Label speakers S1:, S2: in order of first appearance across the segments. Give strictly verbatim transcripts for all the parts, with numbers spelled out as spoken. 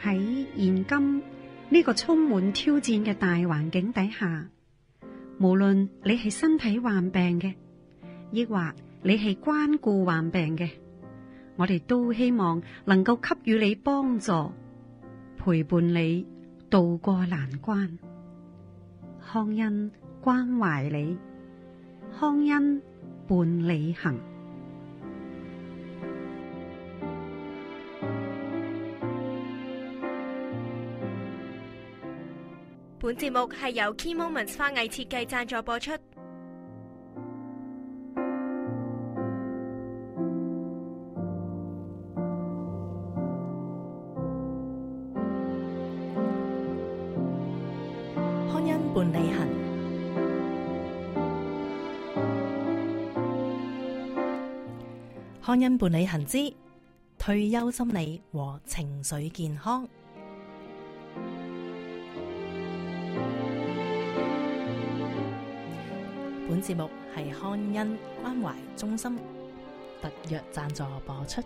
S1: 喺現今呢個充滿挑戰嘅大環境底下，無論你係身體患病嘅，抑或你係關顧患病嘅，我哋都希望能夠給予你幫助，陪伴你渡過難關。康恩關懷你，康恩伴你行。
S2: 本節目係由 Key Moments 花藝設計贊助播出。
S3: 康恩伴你行，康恩伴你行之退休心理和情緒健康。本節目係康恩關懷中心特約贊助播出。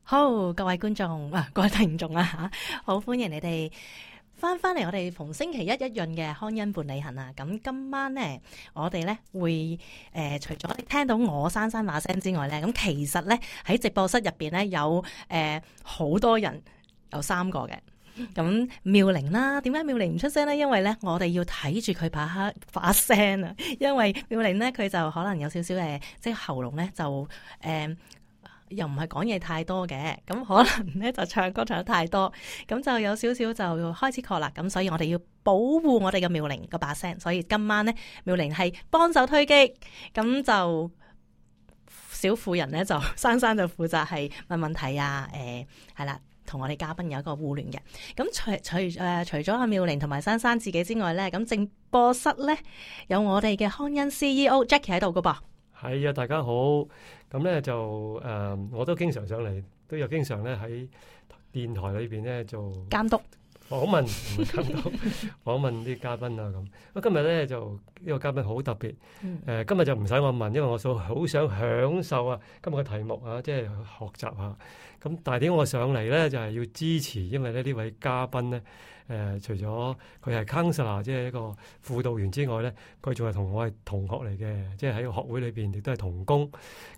S3: 好，各位觀眾啊，各位聽眾啊吓，好歡迎你哋翻翻嚟我哋逢星期一一潤嘅康恩伴你行啊！咁今晚咧，我哋咧會誒、呃，除咗聽到我珊珊把聲之外咧，咁其實咧喺直播室入邊咧有誒好、呃、多人，有三個嘅。咁妙玲啦，點解妙玲唔出聲咧？因為咧，我哋要睇住佢把把聲啊。因為妙玲咧，佢就可能有少少誒，即係喉嚨咧就誒、呃，又唔係講嘢太多嘅。咁可能咧就唱歌唱得太多，咁就有少少就開始咳啦。咁所以我哋要保護我哋嘅妙玲個把聲。所以今晚咧，妙玲係幫手推擊，咁就小婦人咧就珊珊就負責係問問題啊。誒係啦。同我哋嘉賓有一個互聯嘅，咁除除誒、呃、除咗阿妙玲同埋珊珊自己之外咧，咁直播室咧有我哋嘅康恩 C E O Jackie 喺度噶噃。
S4: 係啊，大家好。咁咧就誒、呃，我都經常上嚟，都有經常咧喺電台裏邊咧做
S3: 監督
S4: 訪問，唔係監督訪問啲嘉賓啊咁。咁今日咧就呢個嘉賓好特別，誒、
S3: 嗯
S4: 呃、今日就唔使我問，因為我數好想享受啊今日嘅題目啊，即係學習下。咁但係點解我上嚟咧就係、是、要支持，因為咧呢位嘉賓咧誒、呃、除咗佢係 counselor 即係一個輔導員之外咧，佢仲係同我係同學嚟嘅，即係喺個學會裏邊亦都係同工。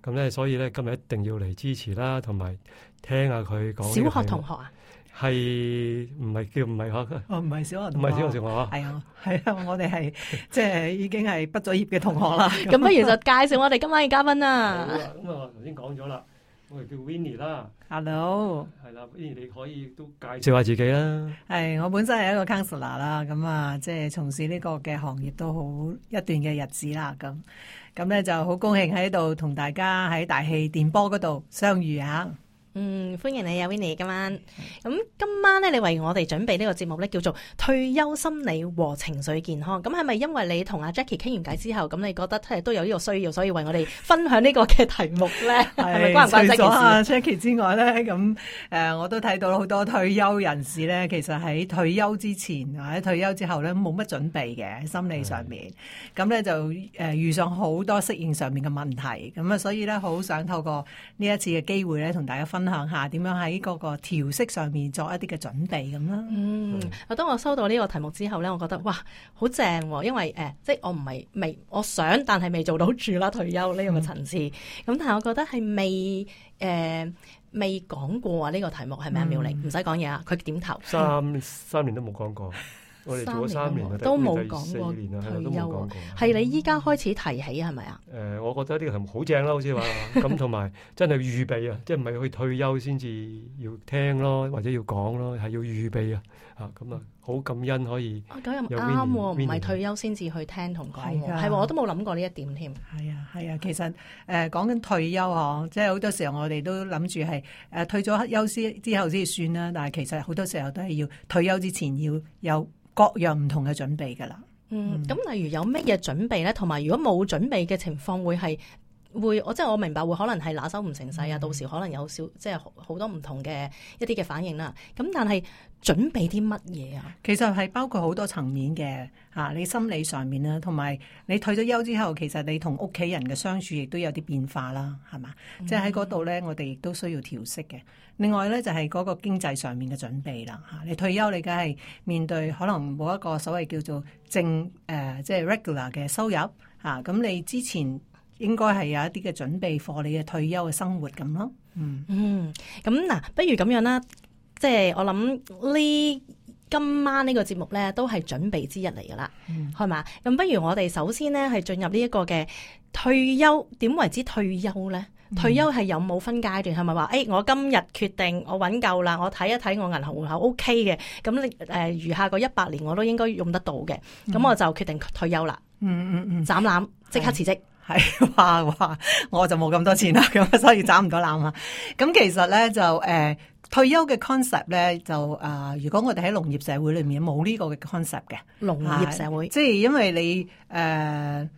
S4: 咁咧所以咧今日一定要嚟支持啦，同埋聽下佢講。
S3: 小學同學啊？
S4: 係唔係叫唔係學？
S5: 哦，唔係小學同學，
S4: 唔係小學同學啊？
S5: 係啊，係啊，我哋係即係已經係畢咗業嘅同學啦。
S3: 咁不如就介紹我哋今晚嘅嘉賓啦。
S4: 好啦，咁啊頭先講咗啦。我哋叫 Winnie 啦
S5: ，Hello，
S4: 係啦 ，Winnie 你可以都介紹下自己啦。
S5: 係我本身係一個 counselor 啦，咁啊，即係從事呢個嘅行業都好一段嘅日子啦，咁咁咧就好高興喺度同大家喺大氣電波嗰度相遇啊！
S3: 嗯，歡迎你啊 Winnie 今晚。咁今晚咧，你為我哋準備呢個節目咧，叫做退休心理和情緒健康。咁係咪因為你同阿 Jackie 傾完偈之後，咁你覺得係都有呢個需要，所以為我哋分享呢個嘅題目咧？係咪關唔關 Jackie 事？
S5: 除咗阿 Jackie 之外咧，咁誒我都睇到好多退休人士咧，其實喺退休之前或者退休之後咧，冇乜準備嘅心理上面，咁咧就誒遇上好多適應上面嘅問題，咁啊所以咧好想透過呢一次嘅機會咧，同大家分享下點樣喺嗰個調適上面作一啲嘅準備咁啦。
S3: 嗯，我當我收到呢個題目之後咧，我覺得哇，好正喎！因為誒、呃，即係我唔係未，我想但係未做到住啦退休呢個層次。咁、嗯、但係我覺得係未誒、呃、未講過啊呢、這個題目係咪啊？妙玲唔使講嘢啊，佢點頭。
S4: 三三年都冇講過。我哋做咗三年
S3: 都冇講過
S4: 退休，
S3: 係你依家開始提起係咪啊？
S4: 誒、呃，我覺得呢個題目好正啦，好似話咁，同埋真係預備啊，即係唔係去退休先至要聽咯，或者要講咯，係要預備啊，嚇咁啊，好感恩可以。
S3: 咁又啱喎，唔係退休先至去聽同講喎，係喎，我都冇諗過呢一點添。
S5: 係啊，係啊，其實誒講緊退休嗬，即係好多時候我哋都諗住係誒退咗休先之後先算啦，但係其實好多時候都係要退休之前要有各樣唔同嘅準備噶啦。
S3: 嗯，咁、嗯、例如有乜嘢準備咧？同埋如果冇準備嘅情況，會係會，我即係我明白會可能係拿手唔成勢啊，到時可能有少即係好多唔同嘅一啲嘅反應啦。咁但係準備啲乜嘢啊？
S5: 其實係包括好多層面嘅嚇，你心理上面啦，同埋你退咗休之後，其實你同屋企人嘅相處亦都有啲變化啦，係嘛？嗯、即係喺嗰度咧，我哋亦都需要調適嘅。另外咧就係嗰個經濟上面嘅準備啦嚇。你退休你梗係面對可能冇一個所謂叫做正誒、呃、即係 regular 嘅收入嚇，咁、啊、你之前應該係有一啲嘅準備課你嘅退休嘅生活咁咯。嗯
S3: 嗯，咁嗱，不如咁樣啦。即係我諗呢今晚呢個節目咧都係準備之一嚟噶啦，係嘛、嗯？咁不如我哋首先咧係進入呢一個嘅退休，點為之退休咧？嗯、退休係有冇分階段？係咪話誒我今日決定我揾夠啦，我睇一睇我銀行戶口 O K 嘅，咁你誒餘下個一百年我都應該用得到嘅，咁、嗯、我就決定退休啦。嗯嗯嗯，斬纜即刻辭職。
S5: 係話話我就冇咁多錢啦，咁所以斬唔到纜啊。咁其實咧就誒。呃退休嘅 concept 咧就啊、呃，如果我哋喺農業社會裏面冇呢個嘅 concept 嘅
S3: 農業社會，
S5: 即係因為你誒、呃、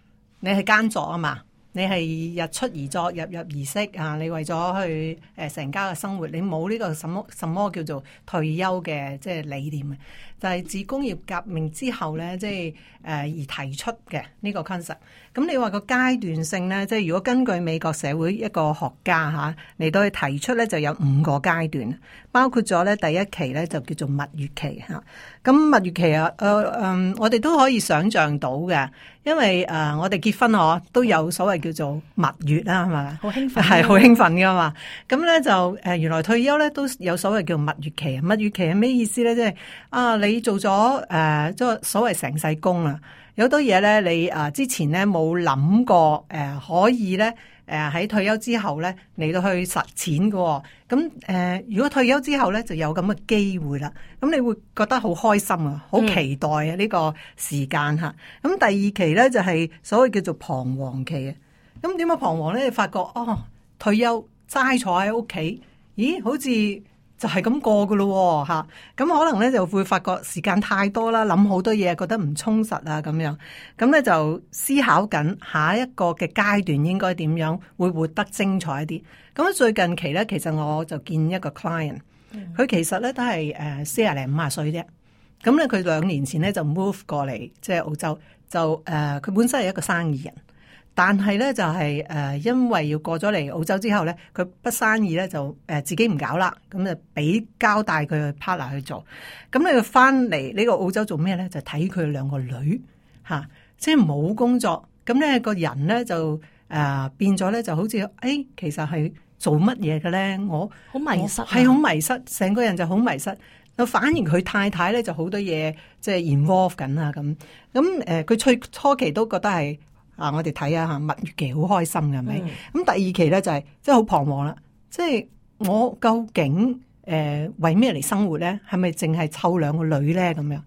S5: 你係耕作啊嘛，你係日出而作，日入而息啊，你為咗去誒成、呃、家嘅生活，你冇呢個什麼什麼叫做退休嘅即係理念嘅，就係、是、自工業革命之後咧，即係誒而提出嘅呢個 concept。咁你話個階段性咧，即係如果根據美國社會一個學家嚇嚟到去提出咧，就有五個階段，包括咗咧第一期咧就叫做蜜月期嚇。咁蜜月期啊，誒、呃、嗯，我哋都可以想像到嘅，因為誒、呃、我哋結婚嗬都有所謂叫做蜜月啦，係咪？
S3: 好興奮，
S5: 係好興奮㗎嘛。咁咧就誒、呃、原來退休咧都有所謂叫蜜月期。蜜月期係咩意思咧？即係啊，你做咗誒即係所謂成世工啊。有好多嘢咧，你啊之前咧冇諗過，誒、呃、可以咧，誒、呃、喺退休之後咧嚟到去實踐嘅、哦。咁誒、呃，如果退休之後咧就有咁嘅機會啦，咁你會覺得好開心啊，好期待啊呢、嗯、個時間嚇。咁第二期咧就係、是、所謂叫做彷徨期啊。咁點解彷徨咧？你發覺哦，退休齋坐喺屋企，咦，好似〜就係咁過噶咯嚇，咁可能咧就會發覺時間太多啦，諗好多嘢，覺得唔充實啊咁樣，咁咧就思考緊下一個嘅階段應該點樣會活得精彩一啲。咁最近期咧，其實我就見一個 client，佢其實咧都係誒四廿零五廿歲啫，咁咧佢兩年前咧就 move 過嚟即係澳洲，就誒佢、呃、本身係一個生意人。但係咧就係、是、誒、呃，因為要過咗嚟澳洲之後咧，佢筆生意咧就誒、呃、自己唔搞啦，咁就俾交帶佢去 partner 去做。咁你佢翻嚟呢個澳洲做咩咧？就睇佢兩個女嚇、啊，即係冇工作。咁咧個人咧就誒、呃、變咗咧，就好似誒、哎、其實係做乜嘢嘅咧？我
S3: 好迷失，
S5: 係好迷失，成個人就好迷失。反而佢太太咧就好多嘢即係 involve 緊啊咁。咁誒佢初初期都覺得係。啊！我哋睇下嚇，蜜月期好開心嘅，係咪？咁、嗯、第二期咧就係即係好彷徨啦。即係我究竟誒、呃、為咩嚟生活咧？係咪淨係湊兩個女咧？咁樣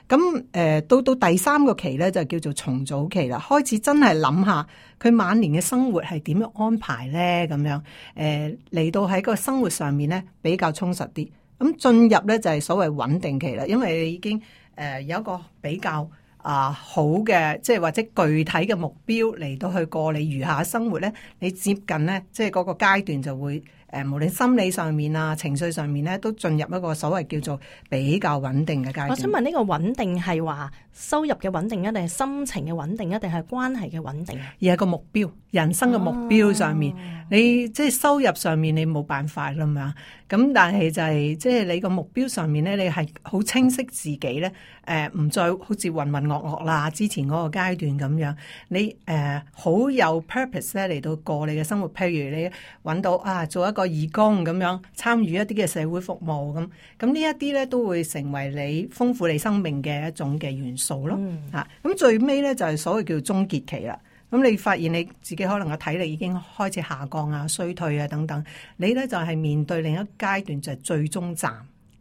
S5: 咁誒、呃、到到第三個期咧就叫做重組期啦。開始真係諗下佢晚年嘅生活係點樣安排咧？咁樣誒嚟、呃、到喺個生活上面咧比較充實啲。咁進入咧就係所謂穩定期啦，因為你已經誒、呃、有一個比較。啊，好嘅，即係或者具體嘅目標嚟到去過你餘下生活咧，你接近咧，即係嗰個階段就會誒、呃，無論心理上面啊、情緒上面咧，都進入一個所謂叫做比較穩定嘅階段。
S3: 我想問呢個穩定係話收入嘅穩定，一定係心情嘅穩定，一定係關係嘅穩定？
S5: 而係個目標，人生嘅目標上面，啊、你即係收入上面你冇辦法啦嘛。咁但係就係即係你個目標上面咧，你係好清晰自己咧，誒、呃、唔再好似渾渾噩噩啦，之前嗰個階段咁樣，你誒好、呃、有 purpose 咧嚟到過你嘅生活。譬如你揾到啊，做一個義工咁樣，參與一啲嘅社會服務咁，咁呢一啲咧都會成為你豐富你生命嘅一種嘅元素咯。嗯、啊，咁最尾咧就係、是、所謂叫終結期啦。咁你發現你自己可能個體力已經開始下降啊、衰退啊等等，你咧就係、是、面對另一階段就係最終站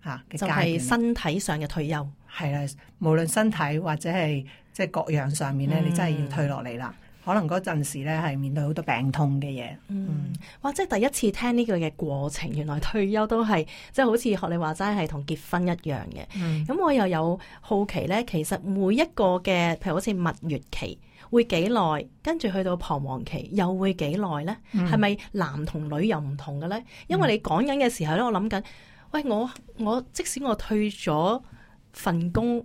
S5: 嚇嘅階段，就係
S3: 身體上嘅退休。
S5: 係啦，無論身體或者係即係各樣上面咧，嗯、你真係要退落嚟啦。可能嗰陣時咧係面對好多病痛嘅嘢。
S3: 嗯，哇！即係第一次聽呢個嘅過程，原來退休都係即係好似學你話齋係同結婚一樣嘅。咁、嗯、我又有好奇咧，其實每一個嘅譬如好似蜜月期。會幾耐？跟住去到彷徨期又會幾耐咧？係咪、嗯、男同女又唔同嘅咧？因為你講緊嘅時候咧，我諗緊，喂，我我即使我退咗份工，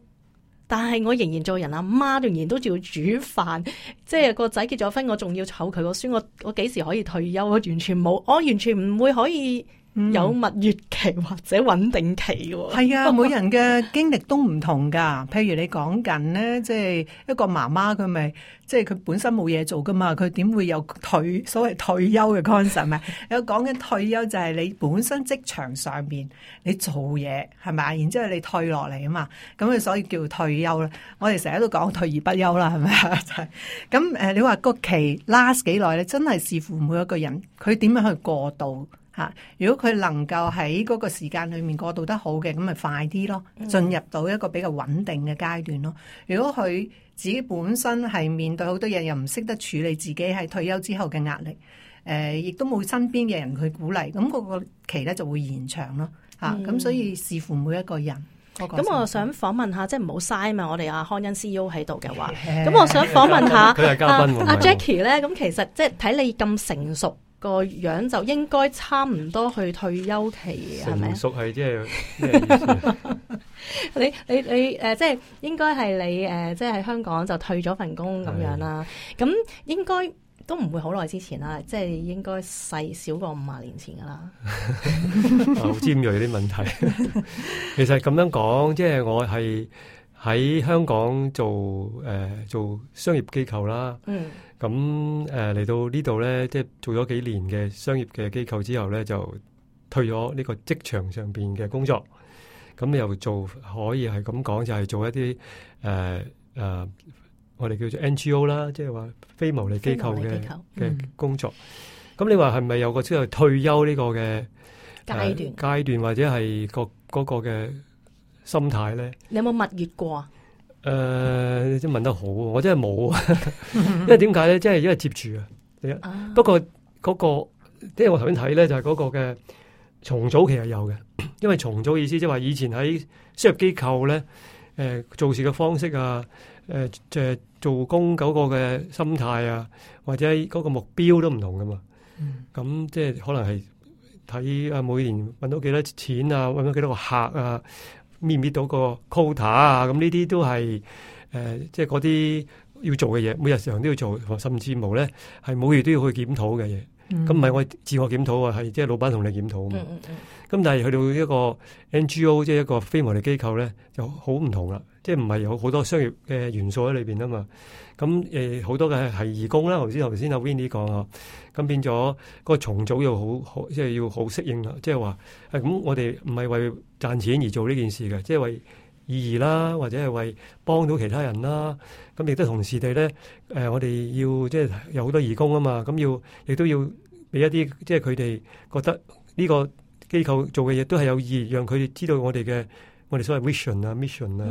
S3: 但係我仍然做人阿媽，仍然都仲要煮飯，即係個仔結咗婚，我仲要湊佢個孫，我我幾時可以退休？我完全冇，我完全唔會可以有蜜月期或者穩定期嘅。
S5: 係啊，每人嘅經歷都唔同噶。譬如你講緊咧，即係一個媽媽，佢咪即係佢本身冇嘢做噶嘛，佢點會有退所謂退休嘅 concept 咪？有講緊退休就係你本身職場上面你做嘢係咪？然之後你退落嚟啊嘛，咁啊所以叫退休啦。我哋成日都講退而不休啦，係咪啊？就係咁誒，你話個期 last 幾耐咧？真係視乎每一個人佢點樣去過渡。吓，如果佢能夠喺嗰個時間裏面過渡得好嘅，咁咪快啲咯，進入到一個比較穩定嘅階段咯。如果佢自己本身係面對好多嘢，又唔識得處理自己喺退休之後嘅壓力，誒、呃，亦都冇身邊嘅人去鼓勵，咁嗰個期咧就會延長咯。吓、嗯，咁所以視乎每一個人。咁、
S3: 嗯、我想訪問下，即係唔好嘥嘛，我哋阿康恩 C E O 喺度嘅話，咁我想訪問下
S4: 佢係嘉賓
S3: 阿 Jackie 咧，咁其實即係睇你咁成熟。個樣就應該差唔多去退休期，係咪？成熟係即係咩意思？你你你誒、呃，即係應該係你誒、呃，即係喺香港就退咗份工咁樣啦。咁的應該都唔會好耐之前啦，即係應該細少過五十年前噶啦。好尖銳啲問題。其實咁樣講，即係我係喺香港做誒、呃、做商業機構啦。嗯。咁誒嚟到呢度咧，即係做咗幾年嘅商業嘅機構之後咧，就退咗呢個職場上邊嘅工作。咁又做可以係咁講，就係、是、做一啲誒誒，我哋叫做 N G O 啦，即係話非牟利機構嘅嘅工作。咁、嗯、你話係咪有個即係退休呢個嘅階段階段，或者係個嗰個嘅心態咧？你有冇蜜月過啊？誒、呃，你真問得好，我真係冇，因為點解咧？即係因為接住啊。啊不過嗰、那個，即係我頭先睇咧，就係、是、嗰個嘅重組其實有嘅，因為重組意思即係話以前喺商業機構咧，誒、呃、做事嘅方式啊，誒即係做工嗰個嘅心態啊，或者嗰個目標都唔同噶嘛。咁、嗯、即係可能係睇啊，每年搵到幾多錢啊，搵到幾多個客啊。搣唔搣到個 quota 啊？咁呢啲都係誒、呃，即係嗰啲要做嘅嘢，每日常都要做，甚至無咧係每月都要去檢討嘅嘢。咁唔係我自我檢討啊，係即係老闆同你檢討啊嘛。咁、嗯嗯嗯、但係去到一個 N G O， 即係一個非牟利機構咧，就好唔同啦。即係唔係有好多商業嘅元素喺裏邊啊嘛。咁誒好多嘅係義工啦，頭先頭先阿 Winnie 講啊，咁變咗個重組又好好，即係要好適應啦。即係話誒咁，我哋唔係為賺錢而做呢件事嘅，即係為意義啦，或者係為幫到其他人啦。咁亦都同時地咧，誒、呃、我哋要即係有好多義工啊嘛，咁要亦都要俾一啲即係佢哋覺得呢個機構做嘅嘢都係有意義，讓佢哋知道我哋嘅。我哋所謂 vision 啊、mission 啊，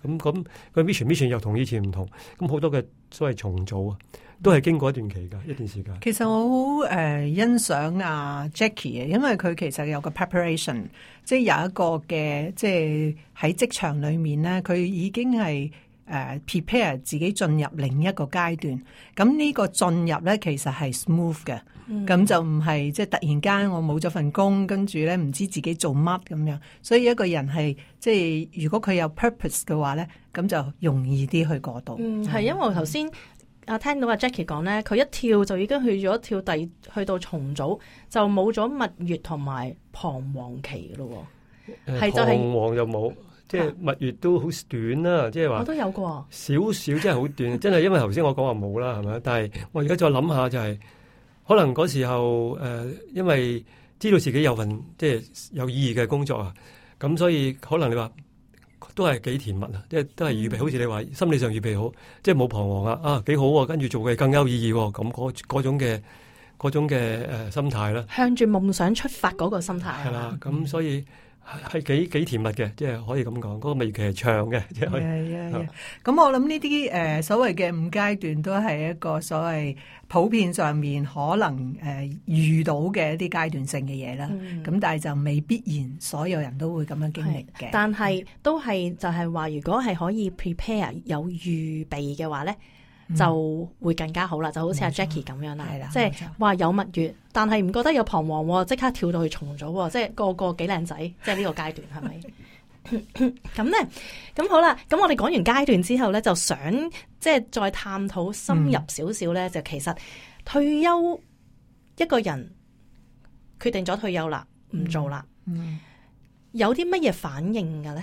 S3: 咁咁個 mission mission 又同以前唔同，咁好多嘅所謂重組啊，都係經過一段期㗎，一段時間。其實我好誒、呃、欣賞啊 Jackie 嘅，因為佢其實有個 preparation，即係有一個嘅，即係喺職場裏面咧，佢已經係誒、呃、prepare 自己進入另一個階段。咁呢個進入咧，其實係 smooth 嘅。咁、嗯、就唔係即係突然間我冇咗份工，跟住咧唔知自己做乜咁樣。所以一個人係即係如果佢有 purpose 嘅話咧，咁就容易啲去過渡。嗯，係因為我頭先啊聽到阿 Jackie 講咧，佢一跳就已經去咗跳第去到重組，就冇咗蜜月同埋彷徨期咯。係、呃、就係彷徨就冇，即係蜜月都好短啦。即係話我都有過少少，真係好短。真係因為頭先我講話冇啦，係咪？但係我而家再諗下就係、是。可能嗰時候誒、呃，因為知道自己有份即係有意義嘅工作啊，咁所以可能你話都係幾甜蜜啊，即係都係預備，好似你話心理上預備好，即係冇彷徨啊，啊幾好啊，跟住做嘅更有意義喎，咁嗰嗰種嘅嗰種嘅誒、呃、心態啦，向住夢想出發嗰個心態係啦，咁所以。係幾幾甜蜜嘅，即係可以咁講。嗰、那個蜜月期係長嘅，即係可以。咁我諗呢啲誒所謂嘅五階段都係一個所謂普遍上面可能誒、呃、遇到嘅一啲階段性嘅嘢啦。咁、嗯、但係就未必然所有人都會咁樣經歷嘅。但係都係就係話，如果係可以 prepare 有預備嘅話咧。就會更加好啦，就好似阿 Jackie 咁樣啦，即係話有蜜月，但係唔覺得有彷徨喎，即刻跳到去重組，即係個個幾靚仔，即係呢個階段係咪？咁咧，咁好啦，咁我哋講完階段之後咧，就想即係再探討深入少少咧，嗯、就其實退休一個人決定咗退休啦，唔做啦，嗯嗯、有啲乜嘢反應嘅咧？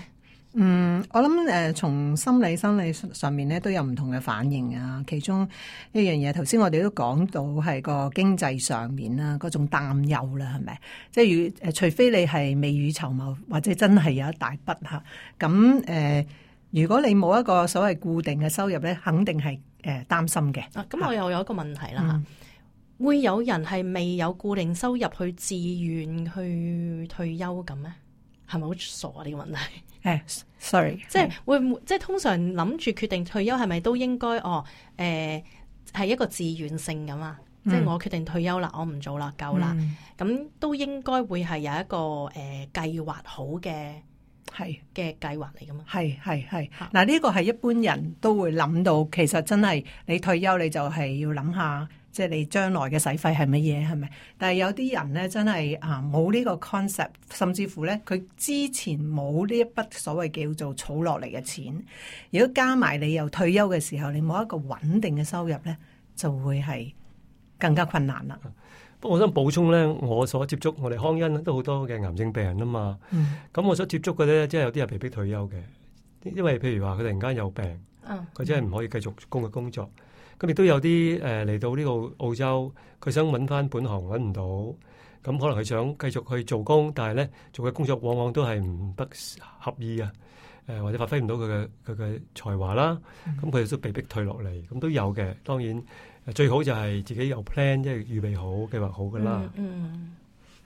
S5: 嗯，我諗誒，從、呃、心理、生理上面咧都有唔同嘅反應啊。其中一樣嘢，頭先我哋都講到係個經濟上面啦，嗰種擔憂啦，係咪？即係如誒，除非你係未雨綢繆，或者真係有一大筆吓，咁誒、呃，如果你冇一個所謂固定嘅收入咧，肯定係誒擔心嘅。
S3: 啊，咁我又有一個問題啦，嗯、會有人係未有固定收入去自願去退休咁咩？係咪好傻啊？呢個問題？
S5: 誒、uh,，sorry，
S3: 即係會唔會即係通常諗住決定退休係咪都應該哦？誒、呃，係一個自願性咁啊？嗯、即係我決定退休啦，我唔做啦，夠啦，咁、嗯、都應該會係有一個誒計劃好嘅係嘅計劃嚟噶嘛？係係係。嗱，呢個係一般人都會諗到，其實真係你退休你就係要諗下。即係你將來嘅使費係乜嘢係咪？但係有啲人咧真係啊冇呢個 concept，甚至乎咧佢之前冇呢一筆所謂叫做儲落嚟嘅錢，如果加埋你又退休嘅時候，你冇一個穩定嘅收入咧，就會係更加困難啦。
S4: 不過我想補充咧，我所接觸我哋康恩都好多嘅癌症病人啊嘛。咁、嗯、我所接觸嘅咧，即係有啲係被逼退休嘅，因為譬如話佢突然間有病，佢、嗯、真係唔可以繼續工嘅工作。咁亦都有啲誒嚟到呢個澳洲，佢想揾翻本行揾唔到，咁可能佢想繼續去做工，但係咧做嘅工作往往都係唔得合意啊，誒、呃、或者發揮唔到佢嘅佢嘅才華啦，咁佢哋都被逼退落嚟，咁都有嘅。當然最好就係自己有 plan，即係預備好計劃好㗎啦。嗯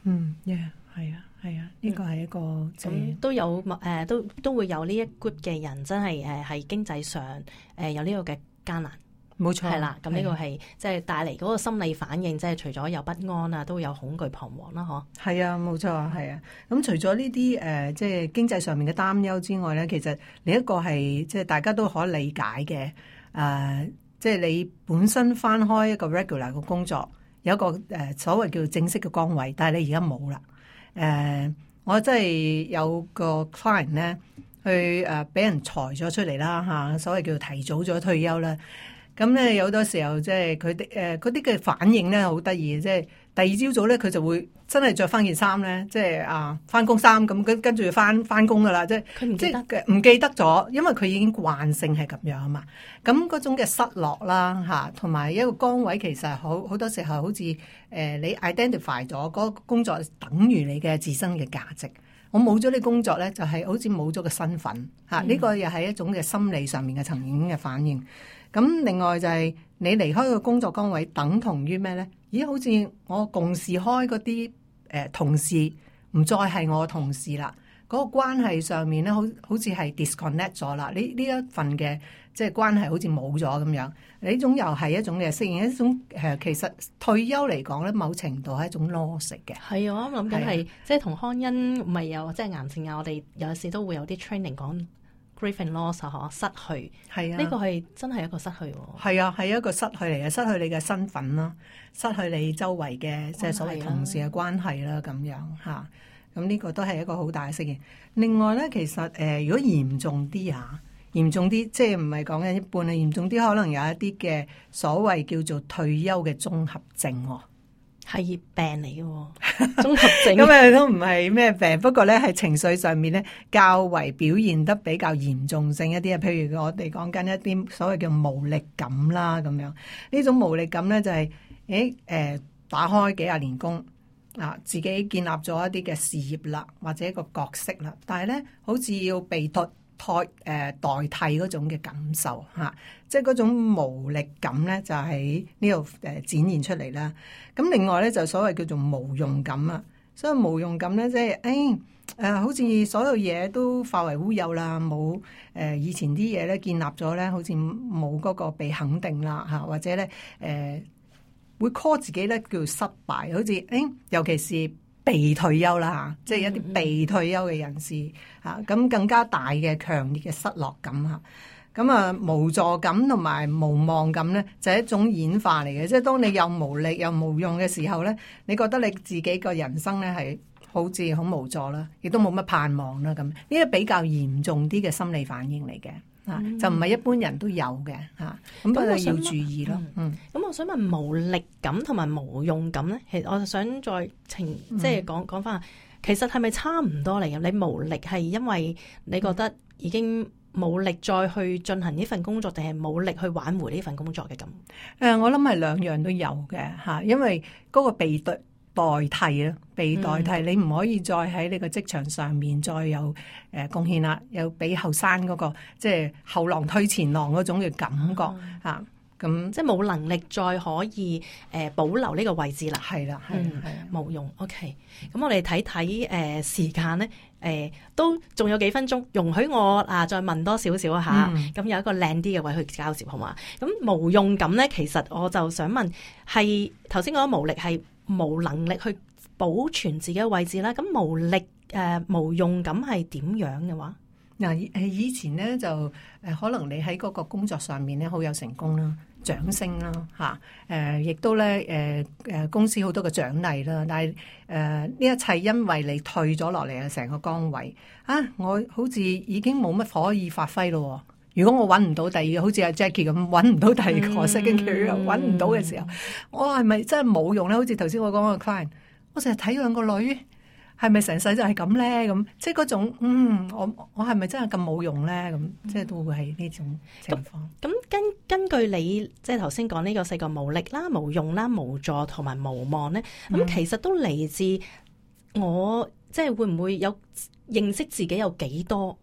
S5: 嗯嗯，係啊係啊，呢個係一個咁、嗯、
S3: 都有誒、呃，都都會有呢一 group 嘅人真係誒係經濟上誒、呃、有呢個嘅艱難。冇錯，係啦，咁呢個係即係帶嚟嗰個心理反應，即係除咗有不安啊，都有恐懼彷徨啦，嗬。係啊，冇錯，係啊。咁除咗呢啲誒，即係經濟上面嘅擔憂之外咧，其實另一個係即係大家都可以理解嘅。誒、呃，即係你本身翻開一個 regular 嘅工作，有一個誒、呃、所謂叫做正式嘅崗位，但係你而家冇啦。誒、呃，我真係有個 client 咧，去誒俾、呃、人裁咗出嚟啦嚇，所謂叫做提早咗退休啦。咁咧有好多時候即係佢哋誒嗰啲嘅反應咧好得意嘅，即係第二朝早咧佢就會真係着翻件衫咧，即係啊翻工衫咁跟跟住翻翻工噶啦，即係佢唔記得唔記得咗，因為佢已經慣性係咁樣啊嘛。咁嗰種嘅失落啦嚇，同埋一個崗位其實好好多時候好似誒、呃、你 identify 咗嗰個工作等於你嘅自身嘅價值。我冇咗呢工作咧，就係、是、好似冇咗個身份嚇。呢、嗯、個又係一種嘅心理上面嘅層面嘅反應。咁另外就係你離開個工作崗位，等同於咩咧？咦，好似我共事開嗰啲誒同事，唔再係我同事啦。嗰、那個關係上面咧，好好似係 disconnect 咗啦。呢呢一份嘅即係關係好似冇咗咁樣。呢種又係一種嘅適應，一種誒其實退休嚟講咧，某程度係一種 loss 嘅。係啊，我諗緊係即係同康恩唔係有即係癌症啊，我哋有時都會有啲 training 講。grief and loss 啊，失去係啊，呢個係真係一個失去喎。係啊，係一個失去嚟嘅，失去你嘅身份啦，失去你周圍嘅即係所謂同事嘅關係啦，咁樣嚇。咁呢個都係一個好大嘅適應。另外咧，其實誒、呃，如果嚴重啲嚇，嚴重啲即係唔係講緊一半啊，嚴重啲可能有一啲嘅所謂叫做退休嘅綜合症喎。係病嚟嘅，綜合症咁啊都唔係咩病，不過咧係情緒上面咧較為表現得比較嚴重性一啲啊。譬如我哋講緊一啲所謂叫無力感啦，咁樣呢種無力感咧就係誒誒打開幾廿年工啊，自己建立咗一啲嘅事業啦，或者一個角色啦，但係咧好似要被代代誒代替嗰種嘅感受嚇、啊，即係嗰種無力感咧就喺呢度誒展現出嚟啦。咁另外咧就所謂叫做無用感啊，所以無用感咧即係誒誒，好似所有嘢都化為烏有啦，冇誒、呃、以前啲嘢咧建立咗咧，好似冇嗰個被肯定啦嚇，或者咧誒、呃、會 call 自己咧叫做失敗，好似誒、哎，尤其是被退休啦嚇，即係一啲被退休嘅人士嚇，咁更加大嘅強烈嘅失落感嚇。
S5: 咁啊，無助感同埋無望感咧，就係一種演化嚟嘅。即係當你又無力又無用嘅時候咧，你覺得你自己個人生咧係好似好無助啦，亦都冇乜盼望啦。咁呢啲比較嚴重啲嘅心理反應嚟嘅，啊、嗯，就唔係一般人都有嘅嚇。咁不過要注意咯。嗯，咁、
S3: 嗯、我想問無力感同埋無用感咧，其實我想再澄即係講講翻，其實係咪差唔多嚟嘅？你無力係因為你覺得已經冇力再去進行呢份工作，定係冇力去挽回呢份工作嘅咁？誒、
S5: 呃，我諗係兩樣都有嘅嚇，因為嗰個被代代替啊，被代替，嗯、你唔可以再喺你個職場上面再有誒貢獻啦，有比後生嗰個即係後浪推前浪嗰種嘅感覺嚇。嗯啊咁
S3: 即係冇能力再可以誒、呃、保留呢個位置啦，
S5: 係啦，係係
S3: 冇用。OK，咁我哋睇睇誒時間咧，誒、呃、都仲有幾分鐘，容許我啊再問多少少嚇。咁、嗯、有一個靚啲嘅位去交接好嘛？咁無用感咧，其實我就想問，係頭先講無力係冇能力去保存自己嘅位置啦。咁無力誒、呃、無用感係點樣嘅話？
S5: 嗱誒以前咧就誒可能你喺嗰個工作上面咧好有成功啦。掌聲啦嚇，誒亦都咧誒誒公司好多嘅獎勵啦，但係誒呢一切因為你退咗落嚟嘅成個崗位啊，我好似已經冇乜可以發揮咯。如果我揾唔到第二個，好似阿 Jackie 咁揾唔到第二個 second career 揾唔到嘅時候，我係咪真係冇用咧？好似頭先我講個 client，我成日睇兩個女。係咪成世就係咁咧？咁即係嗰種，嗯，我我係咪真係咁冇用咧？咁即係都會係呢種情況。
S3: 咁根根據你即係頭先講呢個四個無力啦、無用啦、無助同埋無望咧，咁、嗯、其實都嚟自我即係會唔會有認識自己有幾多，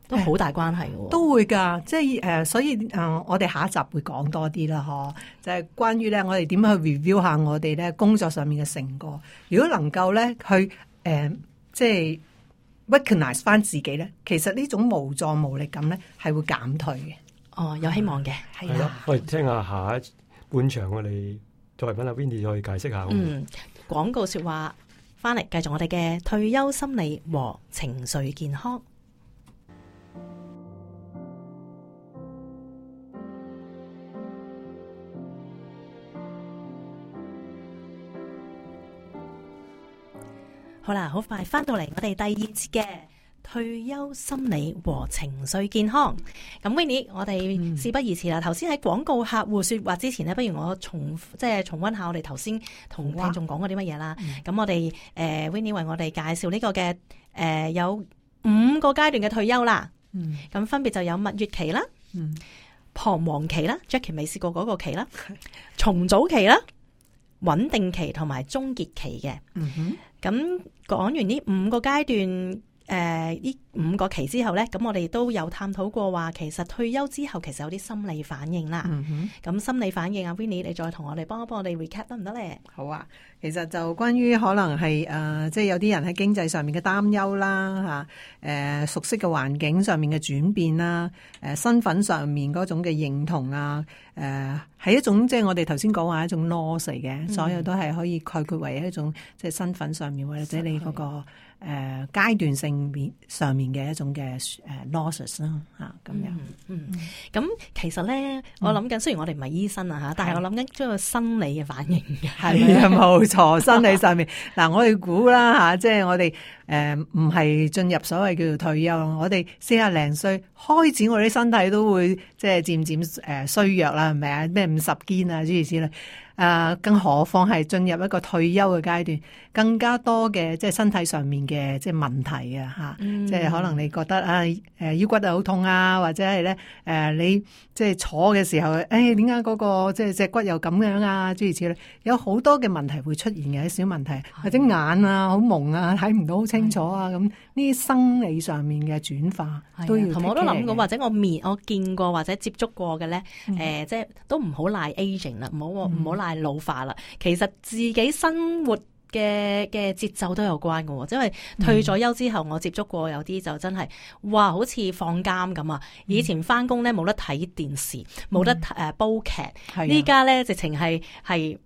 S3: 都好大關係嘅。
S5: 都會㗎，即係誒、呃，所以誒、呃，我哋下一集會講多啲啦，嗬，就係、是、關於咧，我哋點樣去 review 下我哋咧工作上面嘅成果。如果能夠咧去誒、呃，即係 recognize 翻自己咧，其實呢種無助無力感咧係會減退嘅。
S3: 哦，有希望嘅，係
S4: 啦、啊。我哋聽下下一半場，我哋再揾阿 Winnie 再解釋下。
S3: 嗯，廣告說話翻嚟，繼續我哋嘅退休心理和情緒健康。好啦，好快翻到嚟我哋第二節嘅退休心理和情緒健康。咁 Winnie， 我哋事不宜遲啦。頭先喺廣告客戶說話之前呢，不如我重即係重溫下我哋頭先同聽眾講過啲乜嘢啦。咁、嗯、我哋誒、呃、Winnie 為我哋介紹呢個嘅誒、呃、有五個階段嘅退休啦。咁、嗯、分別就有蜜月期啦、嗯、彷徨期啦 Jackie 未試過嗰個期啦、重組期啦、穩定期同埋終結期嘅。咁、嗯、講完呢五個階段，誒、呃，呢五個期之後咧，咁我哋都有探討過話，其實退休之後其實有啲心理反應啦。咁、嗯、心理反應啊 Winnie 你再同我哋幫一幫我哋 recap 得唔得咧？
S5: 好啊，其實就關於可能係誒、呃，即係有啲人喺經濟上面嘅擔憂啦，吓、啊，誒、呃，熟悉嘅環境上面嘅轉變啦，誒、呃，身份上面嗰種嘅認同啊，誒、呃，係一種即係我哋頭先講話一種 loss 嚟嘅、嗯，所有都係可以概括為一種即係身份上面或者你嗰、那個誒、呃、階段性面上面嘅一種嘅誒 losses 啦，吓咁樣。
S3: 嗯，咁、嗯、其實咧，我諗緊、嗯，雖然我哋唔係醫生啊吓，但係我諗緊將個心理嘅反應嘅，
S5: 係啊，冇錯，心理上面嗱，我哋估啦吓，即係我哋誒唔係進入所謂叫做退休，我哋四廿零歲開始，我哋身體都會即係漸漸誒衰弱啦，係咪啊？咩五十肩啊諸如此類。誒、呃，更何況係進入一個退休嘅階段，更加多嘅即係身體上面嘅即係問題啊嚇、嗯，即係可能你覺得啊誒腰骨啊好痛啊，或者係咧誒你即係坐嘅時候，誒點解嗰個即係隻骨又咁樣啊諸如此類，有好多嘅問題會出現嘅，啲小問題，或者眼啊好蒙啊睇唔到好清楚啊，咁呢啲生理上面嘅轉化都要。同我都諗過，
S3: 或者我面我見過或者接觸過嘅咧，誒、嗯呃、即係都唔好賴 aging 啦，唔好唔好賴老化啦，其實自己生活嘅嘅節奏都有關嘅，因為退咗休之後，我接觸過有啲就真係，哇，好似放監咁啊！以前翻工咧冇得睇電視，冇、嗯、得誒煲劇，呢家咧直情係係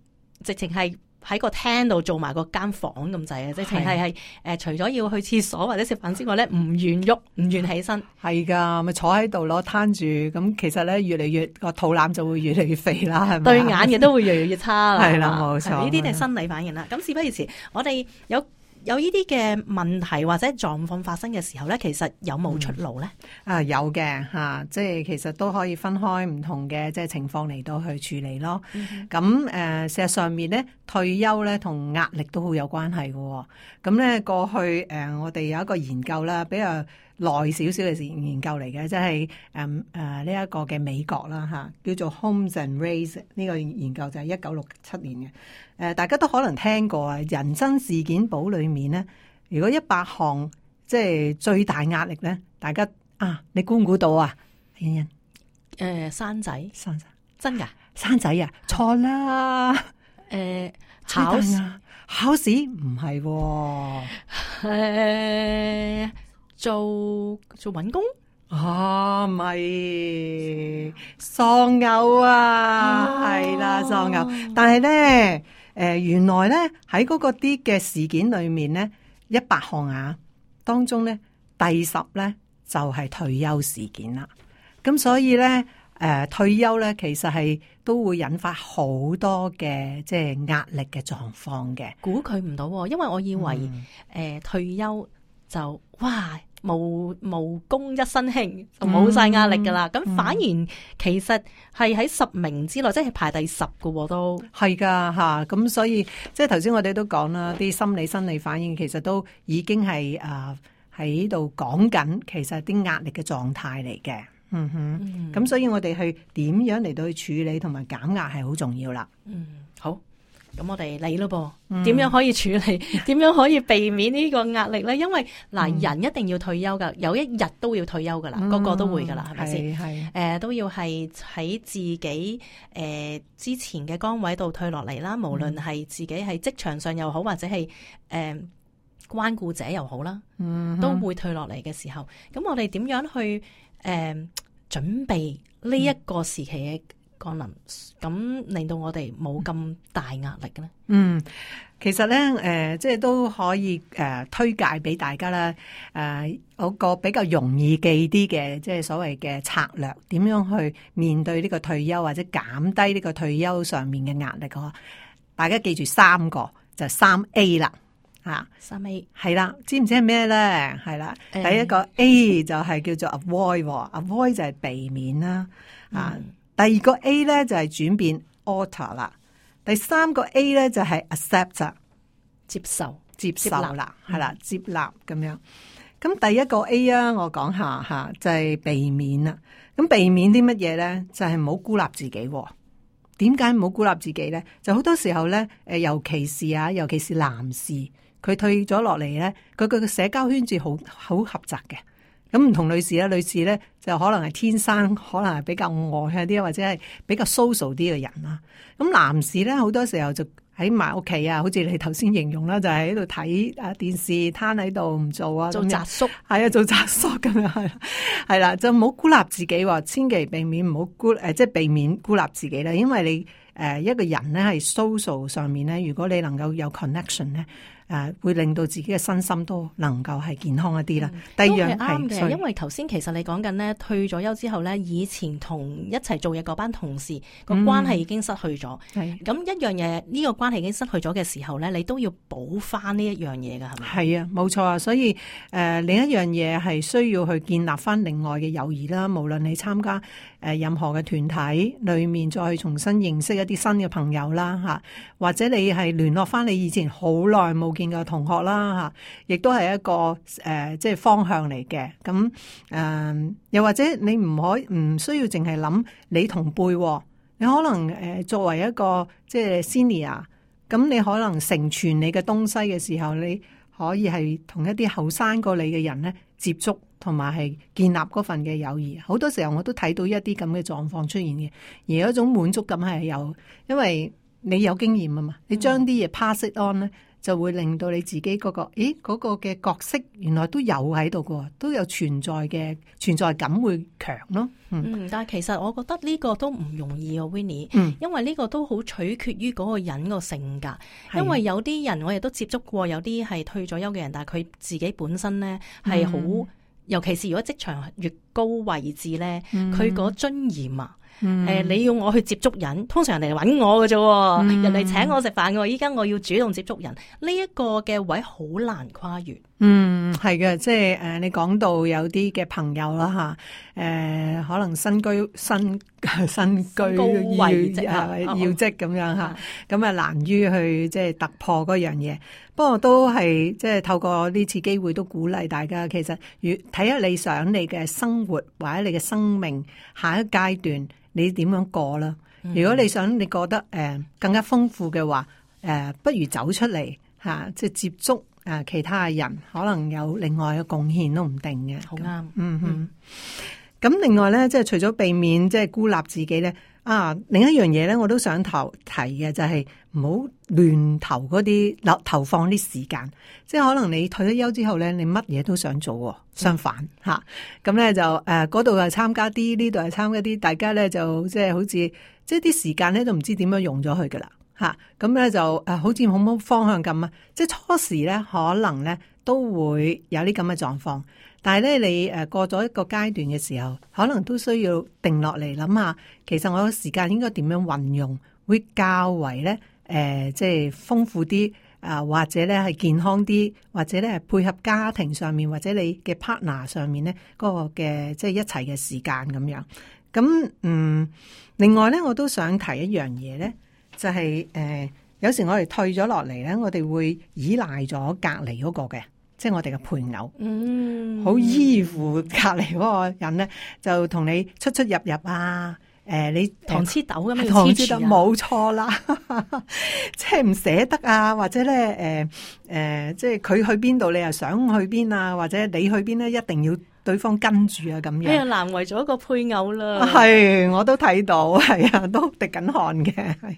S3: 直情係喺個廳度做埋個間房咁滯啊！即係係係誒，除咗要去廁所或者食飯之外咧，唔願喐，唔願起身。
S5: 係噶，咪坐喺度咯，攤住。咁其實咧，越嚟越個肚腩就會越嚟越肥啦，係咪？
S3: 對眼嘅都會越嚟越差啦。
S5: 係啦，冇錯。
S3: 呢啲係生理反應啦。咁事不宜遲，我哋有有呢啲嘅問題或者狀況發生嘅時候咧，其實有冇出路咧？
S5: 嗯、啊，有嘅嚇、啊，即係其實都可以分開唔同嘅即係情況嚟到去處理咯。咁誒、嗯呃，事實上面咧，退休咧同壓力都好有關係嘅、哦。咁咧過去誒、呃，我哋有一個研究啦，比較耐少少嘅研究嚟嘅，即係誒誒呢一個嘅美國啦嚇、啊，叫做 Holmes and Race 呢個研究就係一九六七年嘅。誒、呃，大家都可能聽過啊，人生事件簿裏面咧，如果一百項即係最大壓力咧，大家啊，你估唔估到啊？欣欣，
S3: 誒，生仔，
S5: 生仔，
S3: 真噶？
S5: 生仔啊？錯啦！誒、
S3: 呃，考試，
S5: 考試唔係喎。
S3: 誒，做做搵工
S5: 啊，唔係喪偶啊，係啦，喪偶。但係咧，誒、呃，原來咧喺嗰個啲嘅事件裏面咧，一百項啊當中咧，第十咧就係、是、退休事件啦。咁所以咧，誒、呃，退休咧其實係都會引發好多嘅即係壓力嘅狀況嘅。
S3: 估佢唔到，因為我以為誒、
S5: 嗯
S3: 呃、退休就哇。無無功一身輕就冇晒壓力噶啦，咁、嗯、反而其實係喺十名之內，即係排第十噶都
S5: 係噶吓，咁所以即係頭先我哋都講啦，啲心理生理反應其實都已經係誒喺度講緊，其實啲壓力嘅狀態嚟嘅，嗯哼，咁、嗯、所以我哋去點樣嚟到去處理同埋減壓係好重要啦。
S3: 嗯，好。咁我哋嚟咯噃，點樣可以處理？點樣可以避免呢個壓力咧？因為嗱、嗯，人一定要退休噶，有一日都要退休噶啦，個、嗯、個都會噶啦，係咪先？誒、呃，都要係喺自己誒、呃、之前嘅崗位度退落嚟啦。無論係自己喺職場上又好，或者係誒、呃、關顧者又好啦，嗯、都會退落嚟嘅時候，咁我哋點樣去誒、呃、準備呢一個時期嘅降臨，咁令到我哋冇咁大壓力嘅咧？
S5: 嗯，其實咧，誒、呃，即係都可以誒、呃、推介俾大家啦。誒、呃，有個比較容易記啲嘅，即係所謂嘅策略，點樣去面對呢個退休或者減低呢個退休上面嘅壓力嘅。大家記住三個，就三 A 啦，吓，
S3: 三 A
S5: 係啦，知唔知係咩咧？係啦、嗯，第一個 A 就係叫做 avoid，avoid 就係避免啦，啊、嗯。第二個 A 咧就係轉變 alter 啦，第三個 A 咧就係 accept
S3: 接受
S5: 接受啦，係啦，接納咁樣。咁第一個 A 啊，我講下吓，就係避免啦。咁避免啲乜嘢咧？就係唔好孤立自己。點解唔好孤立自己咧？就好多時候咧，誒，尤其是啊，尤其是男士，佢退咗落嚟咧，佢佢嘅社交圈子好好狹窄嘅。咁唔同女士咧，女士咧就可能係天生可能係比較外向啲，或者係比較 social 啲嘅人啦。咁男士咧好多時候就喺埋屋企啊，好似你頭先形容啦，就係喺度睇啊電視，攤喺度唔做啊，
S3: 做宅叔，
S5: 係啊，做宅叔咁樣係，係啦，就唔好孤立自己，千祈避免唔好孤誒，即係避免孤立自己啦。因為你誒一個人咧係 social 上面咧，如果你能夠有 connection 咧。誒、呃，會令到自己嘅身心都能夠係健康一啲啦、嗯。第二樣係啱嘅，
S3: 因為頭先其實你講緊咧，退咗休之後咧，以前同一齊做嘢嗰班同事個關係已經失去咗。係、嗯、咁一樣嘢，呢、這個關係已經失去咗嘅時候咧，你都要補翻呢一樣嘢噶，係咪？係啊，冇錯啊。所以誒、呃，另一樣嘢係需要去建立翻另外嘅友誼啦。無論你參加誒、呃、任何嘅團體裏面，再去重新認識一啲新嘅朋友啦，吓、啊、或者你係聯絡翻你以前好耐冇見嘅同學啦，吓，亦都係一個誒、呃，即係方向嚟嘅。咁誒、呃，又或者你唔可唔需要淨係諗你同輩，你可能誒、呃、作為一個即係 senior，咁你可能承傳你嘅東西嘅時候，你可以係同一啲後生過你嘅人咧接觸，同埋係建立嗰份嘅友誼。好多時候我都睇到一啲咁嘅狀況出現嘅，而有一種滿足感係有，因為你有經驗啊嘛，你將啲嘢 pass it on 咧。
S5: 就會令到你自己嗰、嗰個，咦嗰、嗰個嘅角色原來都有喺度嘅，都有存在嘅存在感會強咯。嗯，
S3: 嗯，但係其實我覺得呢個都唔容易啊 Winnie，
S5: 嗯，
S3: 因為呢個都好取決於嗰個人個性格，因為有啲人我亦都接觸過，有啲係退咗休嘅人，但係佢自己本身咧係好，尤其是如果職場越高位置咧，佢嗰尊嚴啊。誒、嗯呃，你要我去接觸人，通常人哋嚟搵我嘅啫、嗯，人哋請我食飯嘅，依家我要主動接觸人，呢、這、一個嘅位好難跨越。
S5: 嗯，係嘅，即係誒、呃，你講到有啲嘅朋友啦吓，誒、呃，可能身居身身居
S3: 高位職
S5: 要要職咁樣吓，咁、
S3: 哦、
S5: 啊難於去即係突破嗰樣嘢。不過都係即係透過呢次機會都鼓勵大家，其實如睇下你想你嘅生活或者你嘅生命下一階段。你點樣過啦？如果你想你覺得誒、呃、更加豐富嘅話，誒、呃、不如走出嚟嚇、啊，即係接觸誒、呃、其他嘅人，可能有另外嘅貢獻都唔定嘅。
S3: 好啱，
S5: 嗯哼。咁另外咧，即係除咗避免即係孤立自己咧，啊另一樣嘢咧，我都想投提嘅就係唔好亂投嗰啲投投放啲時間。即係可能你退咗休之後咧，你乜嘢都想做喎，相反嚇。咁咧就誒嗰度係參加啲，呢度係參加啲，大家咧就即係好似即係啲時間咧都唔知點樣用咗佢噶啦嚇。咁咧就誒好似冇乜方向咁啊。即係初時咧可能咧都會有啲咁嘅狀況。但係咧，你誒過咗一個階段嘅時候，可能都需要定落嚟諗下，其實我嘅時間應該點樣運用，會較為咧誒，即係豐富啲啊、呃，或者咧係健康啲，或者咧係配合家庭上面，或者你嘅 partner 上面咧嗰個嘅即係一齊嘅時間咁樣。咁嗯，另外咧，我都想提一樣嘢咧，就係、是、誒、呃，有時我哋退咗落嚟咧，我哋會依賴咗隔離嗰個嘅。即係我哋嘅配偶，嗯，好依附隔離嗰個人咧，就同你出出入入啊，誒、呃，你
S3: 糖黐豆咁樣
S5: 糖黐豆，
S3: 黐住啊，
S5: 冇錯啦，即係唔捨得啊，或者咧，誒、呃、誒、呃，即係佢去邊度，你又想去邊啊，或者你去邊咧，一定要對方跟住啊，咁樣。
S3: 哎呀，難為咗一個配偶啦。
S5: 係，我都睇到，係啊，都滴緊汗嘅。係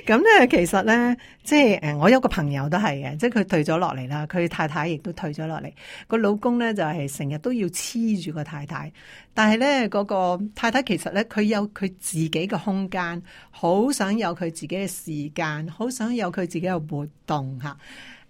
S5: 咁咧，其實咧，即係誒，我有個朋友都係嘅，即係佢退咗落嚟啦，佢太太亦都退咗落嚟，個老公咧就係成日都要黐住個太太，但係咧嗰個太太其實咧，佢有佢自己嘅空間，好想有佢自己嘅時間，好想有佢自己嘅活動嚇。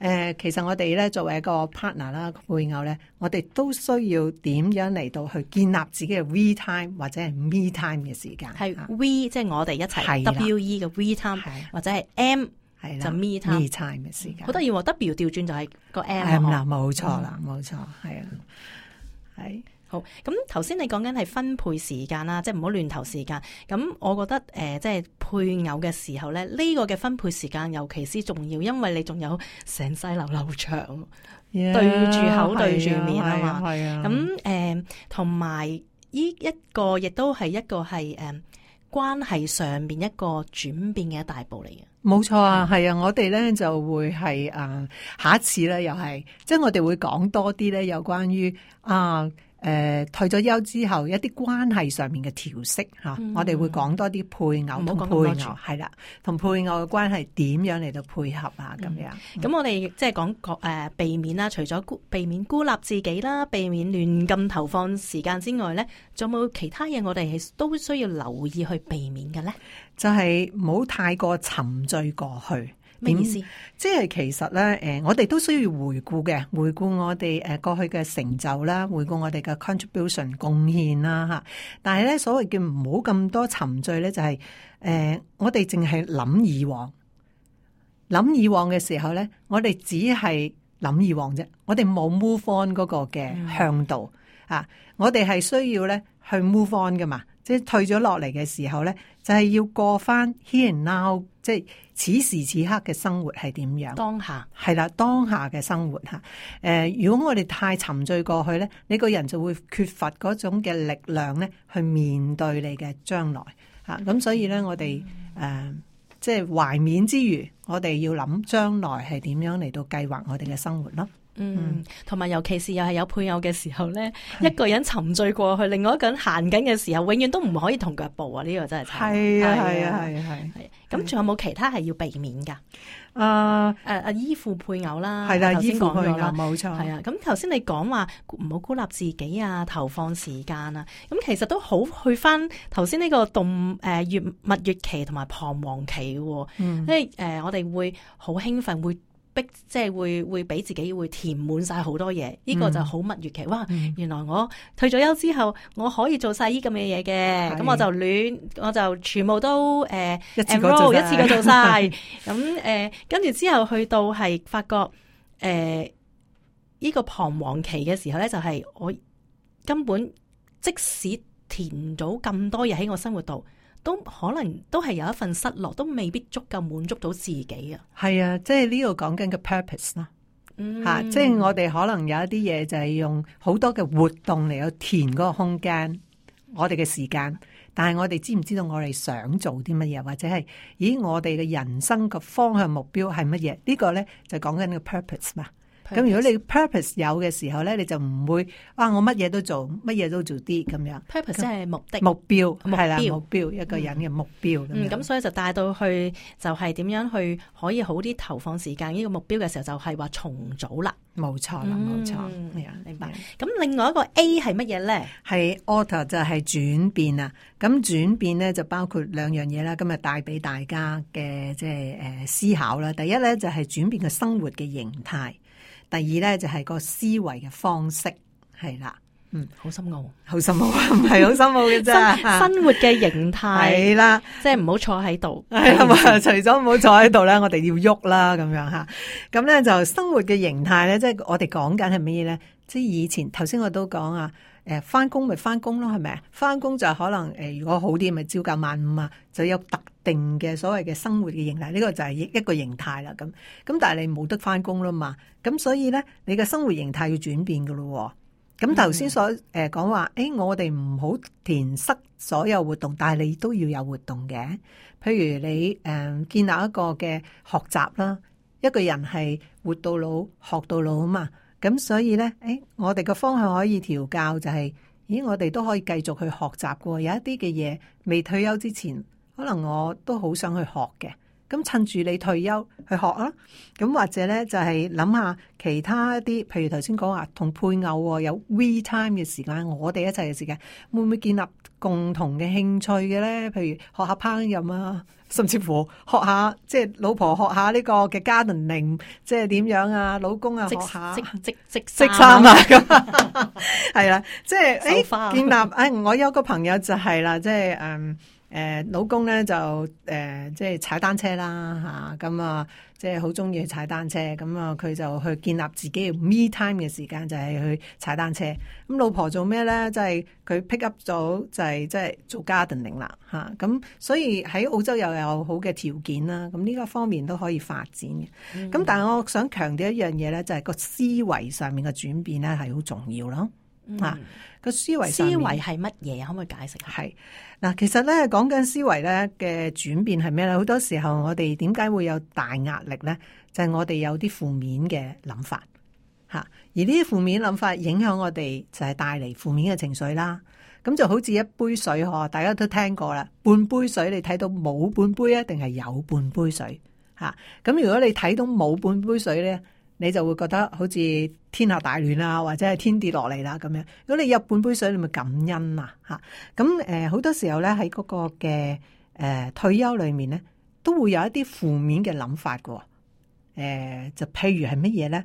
S5: 誒、呃，其實我哋咧作為一個 partner 啦，配偶咧，我哋都需要點樣嚟到去建立自己嘅 we time 或者係 me time 嘅時間。
S3: 係 we 即係我哋一齊 W E 嘅 we time，或者係 M 係就 me time
S5: me time 嘅時間。
S3: 好得意喎 ，W 調轉就係個 M
S5: 係啦，冇錯啦，冇錯，係啊，係。
S3: 好，咁頭先你講緊係分配時間啦，即係唔好亂投時間。咁我覺得誒、呃，即係配偶嘅時候咧，呢、這個嘅分配時間尤其是重要，因為你仲有成世流流長，yeah, 對住口對住面啊嘛。係啊。咁誒，同埋呢一個亦都係一個係誒、呃、關係上面一個轉變嘅一大步嚟嘅。
S5: 冇錯啊，係啊，我哋咧就會係誒、呃、下一次咧又係，即係我哋會講多啲咧有關於啊。誒、呃，退咗休之後一啲關係上面嘅調適吓，我哋會講多啲配偶同配偶係啦，同配偶嘅關係點樣嚟到配合啊咁樣。咁、
S3: 嗯、我哋即係講誒避免啦，除咗孤避免孤立自己啦，避免亂咁投放時間之外咧，仲有冇其他嘢我哋係都需要留意去避免嘅咧？就係唔好太過沉醉過去。咩意思？即係其實咧，誒，我哋都需要回顧嘅，回顧我哋誒過去嘅成就啦，回顧我哋嘅 contribution 貢獻啦吓。但係咧，所謂叫唔好咁多沉醉咧，就係、是、誒、呃，我哋淨係諗以往，諗以往嘅時候咧，我哋只係諗以往啫，我哋冇 move on 嗰個嘅向度、嗯、啊，我哋係需要咧去 move on 噶嘛。即係退咗落嚟嘅時候咧，就係、是、要過翻 here and now，即係此時此刻嘅生活係點樣？當下係啦，當下嘅生活吓。誒、呃，如果我哋太沉醉過去咧，你個人就會缺乏嗰種嘅力量咧，去面對你嘅將來吓。咁、啊、所以咧，我哋誒、呃，即係懷緬之餘，我哋要諗將來係點樣嚟到計劃我哋嘅生活咯。嗯，同埋尤其是又係有配偶嘅時候咧，一個人沉醉過去，另外一個人行緊嘅時候，永遠都唔可以同腳步啊！呢、這個真係
S5: 係啊係啊係啊係。
S3: 咁仲有冇其他係要避免噶？
S5: 啊
S3: 誒誒，依附配偶啦，
S5: 係啦，
S3: 頭先
S5: 依附配偶
S3: 講咗啦，
S5: 冇錯。
S3: 係啊，咁頭先你講話唔好孤立自己啊，投放時間啊，咁其實都好去翻頭先呢個動誒月蜜月期同埋彷徨期嘅，
S5: 嗯，
S3: 即係誒我哋會好興奮，會逼即係會會俾自己會填滿晒好多嘢，呢、這個就好蜜月期。哇！
S5: 嗯、
S3: 原來我退咗休之後，我可以做晒呢咁嘅嘢嘅，咁我就亂，我就全部都誒、呃、
S5: 一次過做
S3: 一次過做晒。咁誒跟住之後去到係發覺誒呢、呃這個彷徨期嘅時候咧，就係、是、我根本即使填咗咁多嘢喺我生活度，都可能都係有一份失落，都未必足夠滿足到自己啊！
S5: 係啊，即係呢度講緊嘅 purpose 啦，吓，即係我哋可能有一啲嘢就係用好多嘅活動嚟去填嗰個空間，我哋嘅時間，但係我哋知唔知道我哋想做啲乜嘢，或者係咦我哋嘅人生嘅方向目標係乜嘢？呢個咧就講緊個 purpose 嘛。咁如果你 purpose 有嘅時候咧，你就唔會啊我乜嘢都做，乜嘢都做啲咁樣。
S3: purpose 即係目的、
S5: 目標係啦，
S3: 目標
S5: 目標一個人嘅目標咁樣。
S3: 嗯，咁所以就帶到去就係點樣去可以好啲投放時間呢個目標嘅時候，就係話重組啦。
S5: 冇錯啦，冇錯。
S3: 係啊，明白。咁另外一個 A 係乜嘢咧？
S5: 係 alter 就係轉變啊。咁轉變咧就包括兩樣嘢啦。今日帶俾大家嘅即係誒思考啦。第一咧就係轉變嘅生活嘅形態。第二咧就係個思維嘅方式，係啦，嗯，
S3: 好深奧，
S5: 好深奧啊，唔係好深奧嘅啫。
S3: 生活嘅形態
S5: 係啦，
S3: 即係唔好坐喺度，
S5: 係啊，除咗唔好坐喺度咧，我哋要喐啦，咁樣吓。咁咧就生活嘅形態咧，即係我哋講緊係乜嘢咧？即係以前頭先我都講啊。誒，翻工咪翻工咯，係咪啊？翻工就可能誒，如果好啲咪朝九晚五啊，就有特定嘅所謂嘅生活嘅形態，呢個就係一個形態啦。咁咁，但係你冇得翻工啦嘛，咁所以咧，你嘅生活形態要轉變噶咯。咁頭先所誒講話，誒，我哋唔好填塞所有活動，但係你都要有活動嘅。譬如你誒建立一個嘅學習啦，一個人係活到老學到老啊嘛。咁所以咧，誒、哎，我哋個方向可以調教，就係、是，咦，我哋都可以繼續去學習嘅。有一啲嘅嘢未退休之前，可能我都好想去學嘅。咁趁住你退休去學啦。咁或者咧，就係諗下其他一啲，譬如頭先講話同配偶有 we time 嘅時間，我哋一齊嘅時間，會唔會建立共同嘅興趣嘅咧？譬如學下烹飪啊。甚至乎學下，即係老婆學下呢個嘅 gardening，即係點樣啊？老公啊學下
S3: 織織織
S5: 織衫啊咁，係啦，即係誒
S3: 花
S5: 建立誒、哎，我有個朋友就係啦，即係誒誒，老公咧就誒、呃、即係踩單車啦吓，咁啊即係好中意去踩單車，咁啊佢就去建立自己嘅 me time 嘅時間，就係、是、去踩單車。咁老婆做咩咧？即係佢 pick up 咗，就係即係做 gardening 啦吓。咁所以喺澳洲又有好嘅條件啦。咁呢個方面都可以發展嘅。咁、嗯、但係我想強調一樣嘢咧，就係、是、個思維上面嘅轉變咧係好重要咯。啊、嗯，個思維
S3: 思維係乜嘢？可唔可以解釋下？
S5: 係嗱，其實咧講緊思維咧嘅轉變係咩咧？好多時候我哋點解會有大壓力咧？就係、是、我哋有啲負面嘅諗法吓，而呢啲負面諗法影響我哋，就係帶嚟負面嘅情緒啦。咁就好似一杯水嗬，大家都聽過啦，半杯水你睇到冇半杯啊，定係有半杯水吓？咁如果你睇到冇半杯水咧，你就會覺得好似天下大亂啊，或者係天跌落嚟啦咁樣。如果你有半杯水，你咪感恩啊嚇。咁誒好多時候咧喺嗰個嘅誒、呃、退休裏面咧，都會有一啲負面嘅諗法嘅。誒、呃、就譬如係乜嘢咧？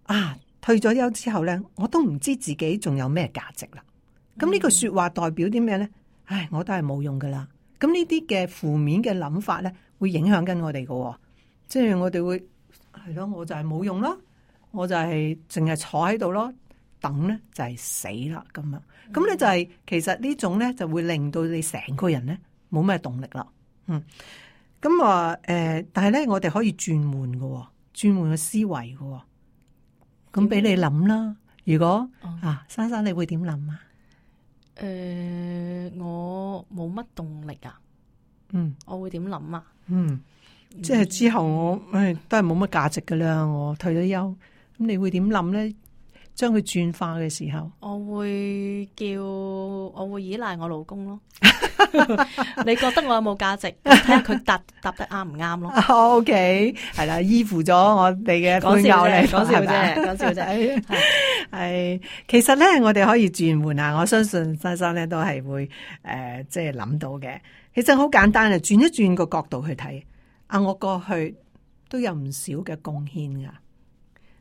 S5: 啊，退咗休之後咧，我都唔知自己仲有咩價值啦。咁呢句説話代表啲咩咧？唉，我都係冇用噶啦。咁呢啲嘅負面嘅諗法咧，會影響緊我哋嘅。即係我哋會。係咯，我就係冇用咯，我就係淨係坐喺度咯，等咧就係死啦咁樣。咁咧就係、是、其實呢種咧就會令到你成個人咧冇咩動力啦。嗯，咁啊誒，但係咧我哋可以轉換嘅，轉換個思維嘅。咁俾你諗啦，如果、嗯、啊，珊珊你會點諗啊？
S3: 誒、呃，我冇乜動力啊。
S5: 嗯，
S3: 我會點諗啊？
S5: 嗯。即係之後我誒都係冇乜價值噶啦，我退咗休咁你會點諗咧？將佢轉化嘅時候，
S3: 我會叫我會依賴我老公咯。你覺得我有冇價值？睇下佢答答得啱唔啱咯。
S5: O K， 係啦，依附咗我哋嘅配偶嚟，
S3: 講笑啫，講笑啫。
S5: 係，其實咧，我哋可以轉換啊！我相信珊珊咧都係會誒，即係諗到嘅。其實好簡單啊，轉一轉個角度去睇啊，我過去都有唔少嘅貢獻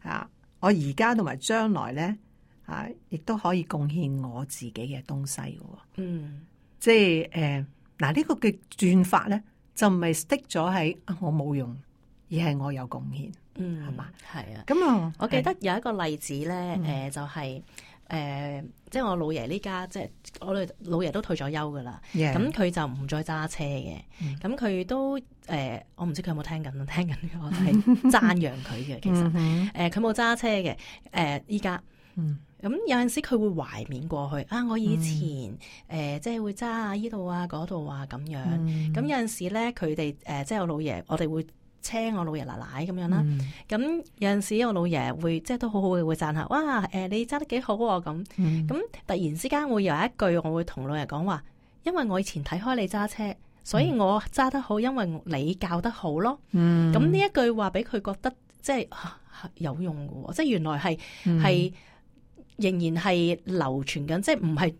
S5: 噶啊。我而家同埋將來咧，啊，亦都可以貢獻我自己嘅東西嘅。
S3: 嗯，
S5: 即係誒，嗱、呃、呢、這個嘅轉法咧，就唔係 stick 咗喺我冇用，而係我有貢獻。
S3: 嗯，
S5: 係嘛？
S3: 係啊。
S5: 咁啊，
S3: 我記得有一個例子咧，誒、
S5: 嗯
S3: 呃，就係、是、誒、呃，即係我老爺呢家，即係我哋老爺都退咗休噶啦。咁佢
S5: Yeah.
S3: 就唔再揸車嘅。咁、嗯、佢都。誒、呃，我唔知佢有冇聽緊，聽緊我係讚揚佢嘅。其實，誒、呃，佢冇揸車嘅。誒、呃，依家，咁、嗯、有陣時佢會懷緬過去啊！我以前誒、嗯呃，即係會揸下依度啊、嗰度啊咁樣。咁、嗯、有陣時咧，佢哋誒，即係我老爺，我哋會車我老爺奶奶咁樣啦。咁、嗯、有陣時我老爺會即係都好好嘅，會讚下，哇！誒、呃，你揸得幾好喎、啊、咁。咁、嗯、突然之間會有一句，我會同老爺講話，因為我以前睇開你揸車。所以我揸得好，因為你教得好咯。嗯，咁呢一句話俾佢覺得即係、啊、有用嘅，即係原來係係、嗯、仍然係流傳緊，即係唔係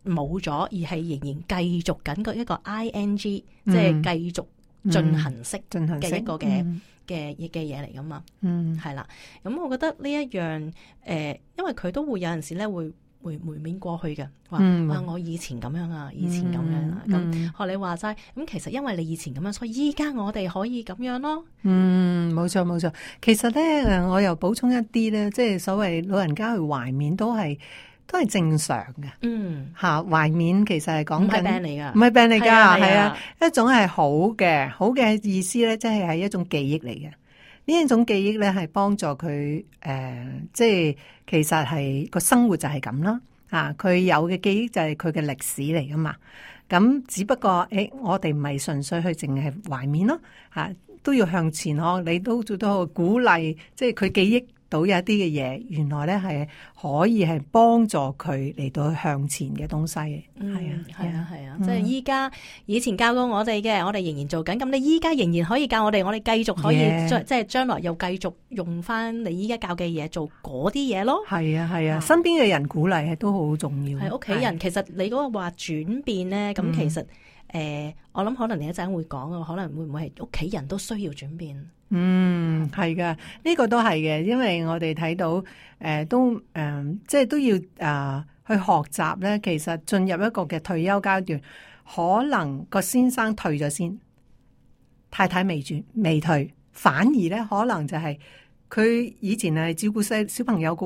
S3: 冇咗，而係仍然繼續緊個一個 ing，即係繼續進行式嘅一個嘅嘅嘅嘢嚟噶嘛。嗯，係啦。咁我覺得呢一樣誒、呃，因為佢都會有陣時咧會。會回面過去嘅，話、嗯、啊我以前咁樣啊，以前咁樣啊，咁、嗯、學你話齋，咁其實因為你以前咁樣，所以依家我哋可以咁樣咯。嗯，
S5: 冇錯冇錯。其實咧，誒，我又補充一啲咧，即係所謂老人家去懷緬都係都係正常嘅。嗯，吓懷緬其實係講緊唔係病嚟噶，唔係病嚟噶，係啊，一種係好嘅，好嘅意思咧，即係係一種記憶嚟嘅。呢一種記憶咧，係幫助佢誒、呃，即係其實係個生活就係咁啦。啊，佢有嘅記憶就係佢嘅歷史嚟噶嘛。咁只不過誒、欸，我哋唔係純粹去淨係懷緬咯，嚇、啊、都要向前呵。你都做到鼓勵，即係佢記憶到有一啲嘅嘢，原來咧係可以係幫助佢嚟到向前嘅東西嘅。
S3: 嗯，
S5: 係啊，
S3: 係啊，係啊，即係依家以前教過我哋嘅，我哋仍然做緊。咁你依家仍然可以教我哋，我哋繼續可以 Yeah. 即係將來又繼續用翻你依家教嘅嘢做嗰啲嘢咯。係
S5: 啊，係啊，身邊嘅人鼓勵係都好重要。
S3: 係屋企人，其實你嗰個話轉變咧，咁、嗯、其實誒、呃，我諗可能你一陣會講嘅，可能會唔會係屋企人都需要轉變？
S5: 嗯，係噶，呢、這個都係嘅，因為我哋睇到誒、呃，都誒、呃，即係都要啊、呃、去學習咧。其實進入一個嘅退休階段，可能個先生退咗先，太太未轉未退，反而咧可能就係佢以前係照顧細小朋友噶，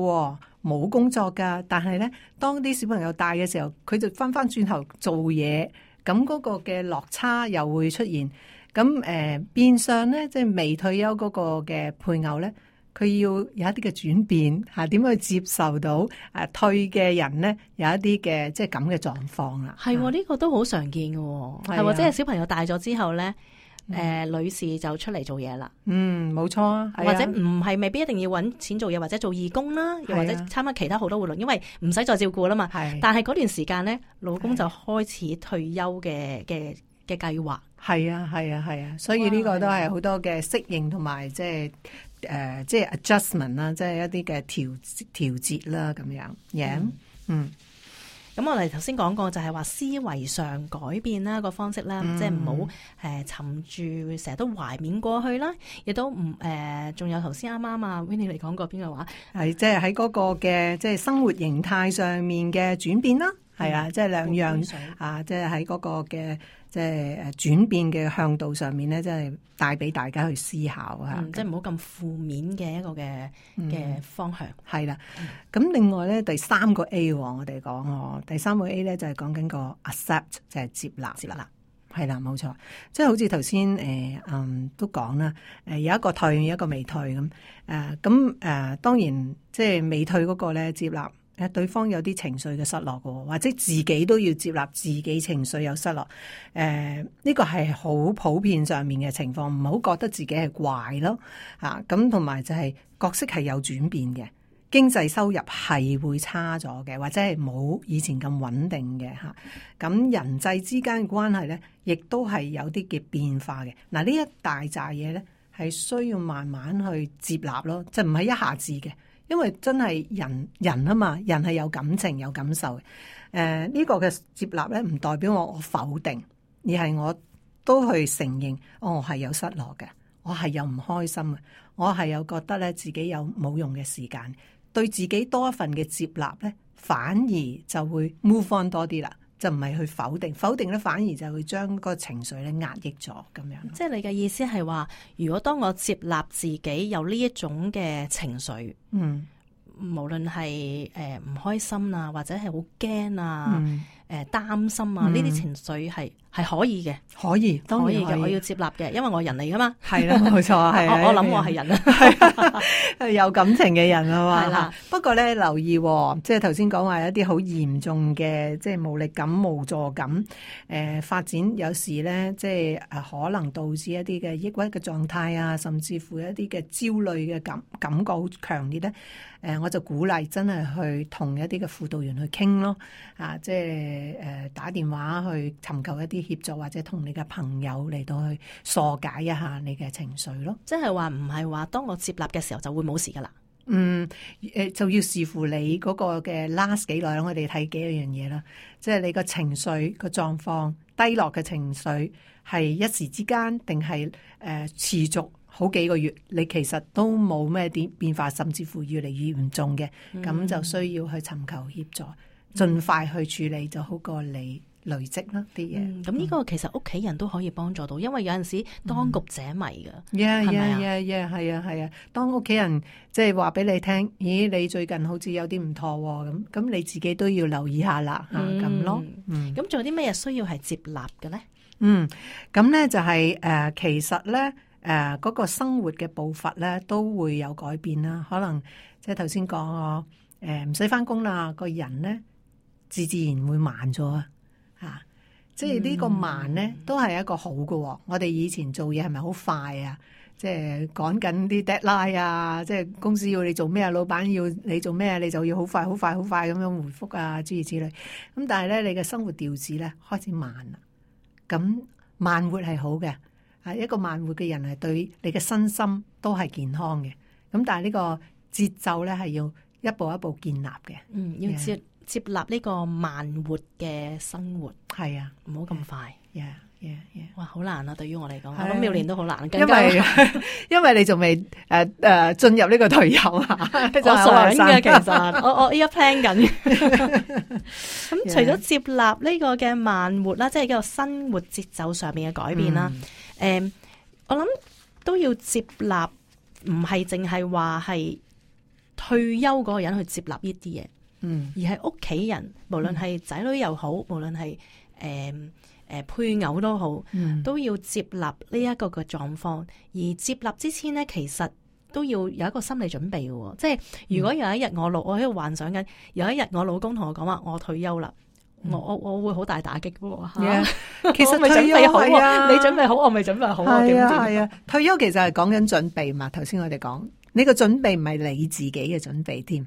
S5: 冇工作噶，但係咧當啲小朋友大嘅時候，佢就翻翻轉頭做嘢，咁嗰個嘅落差又會出現。咁誒、呃、變相咧，即係未退休嗰個嘅配偶咧，佢要有一啲嘅轉變嚇，點、啊、去接受到誒、啊、退嘅人咧有一啲嘅即係咁嘅狀況啦。
S3: 係喎，呢個都好常見嘅喎，係喎，即係小朋友大咗之後咧，誒、呃嗯、女士就出嚟做嘢啦。嗯，冇錯啊，或者唔係未必一定要揾錢做嘢，或者做義工啦，又或者參加其他好多活動，因為唔使再照顧啦嘛。係，但係嗰段時間咧，老公就開始退休嘅嘅嘅計劃。
S5: 係啊，係啊，係啊，所以呢個都係好多嘅適應同埋即係誒，即係 adjustment 啦，即係一啲嘅調調節啦，咁樣嘢。Yeah? 嗯，
S3: 咁、嗯、我哋頭先講過就係話思維上改變啦個方式啦，嗯、即係唔好誒沉住，成日都懷緬過去啦，亦都唔誒，仲、呃、有頭先啱啱啊 Winnie 嚟講過邊個話
S5: 係即係喺嗰個嘅即係生活形態上面嘅轉變啦，係、嗯、啊，即係兩樣啊，即係喺嗰個嘅。即係誒轉變嘅向度上面咧，即係帶俾大家去思考啊！
S3: 嗯、即係唔好咁負面嘅一個嘅嘅、嗯、方向。係啦，
S5: 咁、嗯、另外咧第三個 A 我哋講哦，第三個 A 咧就係講緊個 accept 就係接納。接納係啦，冇錯。即係好似頭先誒嗯都講啦，誒有一個退，有一個未退咁誒咁誒。當然即係未退嗰個咧接納誒對方有啲情緒嘅失落嘅，或者自己都要接納自己情緒有失落。誒、呃、呢、這個係好普遍上面嘅情況，唔好覺得自己係怪咯嚇。咁同埋就係角色係有轉變嘅，經濟收入係會差咗嘅，或者係冇以前咁穩定嘅嚇。咁人際之間嘅關係咧，亦都係有啲嘅變化嘅。嗱，呢一大扎嘢咧，係需要慢慢去接納咯，就唔係一下子嘅。因為真係人人啊嘛，人係有感情有感受嘅。誒、呃、呢、這個嘅接納咧，唔代表我我否定，而係我都去承認，哦、我係有失落嘅，我係有唔開心嘅，我係有覺得咧自己有冇用嘅時間，對自己多一份嘅接納咧，反而就會 move on 多啲啦，就唔係去否定，否定咧反而就會將個情緒咧壓抑咗咁樣。
S3: 即係你嘅意思係話，如果當我接納自己有呢一種嘅情緒，
S5: 嗯，
S3: 無論係誒唔開心啊，或者係好驚啊，誒、
S5: 嗯
S3: 呃、擔心啊，呢啲、嗯、情緒係係可以嘅，
S5: 可以，當然可以
S3: 嘅，我要接納嘅，因為我人嚟噶嘛。
S5: 係啦，冇錯，係
S3: 我我諗我係人啊，
S5: 係有感情嘅人啊嘛。
S3: 係啦，
S5: 不過咧留意、哦，即係頭先講話一啲好嚴重嘅，即係無力感、無助感，誒、呃、發展有時咧，即係誒可能導致一啲嘅抑鬱嘅狀態啊，甚至乎一啲嘅焦慮嘅感感覺好強烈咧。誒、呃，我就鼓勵真係去同一啲嘅輔導員去傾咯，啊，即係誒、呃、打電話去尋求一啲協助，或者同你嘅朋友嚟到去疏解一下你嘅情緒咯。
S3: 即係話唔係話當我接納嘅時候就會冇事噶啦。
S5: 嗯，誒就要視乎你嗰個嘅 last 幾耐，我哋睇幾樣嘢啦。即係你個情緒個狀況低落嘅情緒係一時之間，定係誒持續好幾個月？你其實都冇咩點變化，甚至乎越嚟越嚴重嘅，咁、嗯、就需要去尋求協助，盡快去處理就好過你累積啦啲嘢。
S3: 咁呢、嗯、個其實屋企人都可以幫助到，因為有陣時當局者迷噶，
S5: 係咪啊？
S3: 係
S5: 啊，係啊，係啊。當屋企人即係話俾你聽，咦，你最近好似有啲唔妥喎，咁咁你自己都要留意下啦，吓咁、
S3: 嗯、
S5: 咯。
S3: 咁仲有啲咩嘢需要係接納嘅咧？
S5: 嗯，咁咧就係、是、誒、呃，其實咧誒，嗰、呃那個生活嘅步伐咧都會有改變啦。可能即係頭先講我誒唔使翻工啦，個人咧自自然會慢咗啊。吓，即係呢個慢咧，都係一個好嘅、哦。我哋以前做嘢係咪好快啊？即係趕緊啲 deadline 啊，即係公司要你做咩啊，老闆要你做咩，你就要好快、好快、好快咁樣回覆啊，諸如此類。咁但係咧，你嘅生活調子咧開始慢啦。咁慢活係好嘅，啊一個慢活嘅人係對你嘅身心都係健康嘅。咁但係呢個節奏咧係要一步一步建立嘅。
S3: 嗯，要接。Yeah. 接納呢個慢活嘅生活，
S5: 係啊，
S3: 唔好咁快。
S5: Yeah, yeah, yeah.
S3: 哇，好難啊！對於我嚟講，我諗妙蓮都好難。
S5: 因為因為你仲未誒誒進入呢個退休啊，
S3: 我想嘅其實，我我依家 plan 緊。咁除咗接納呢個嘅慢活啦，即係一個生活節奏上面嘅改變啦。誒、嗯嗯，我諗都要接納，唔係淨係話係退休嗰個人去接納呢啲嘢。嗯，而係屋企人，無論係仔女又好，嗯、無論係誒誒配偶都好，嗯、都要接納呢一個嘅狀況。而接納之前咧，其實都要有一個心理準備嘅。即係如果有一日我老，我喺度幻想緊，有一日我老公同我講話我退休啦，嗯、我我我會好大打擊嘅。Yeah,
S5: 其實
S3: 未準備好，
S5: 啊、
S3: 你準備好，我未準備好。
S5: 係啊係啊，退休其實係講緊準備嘛。頭先我哋講，呢個準備唔係你自己嘅準備添。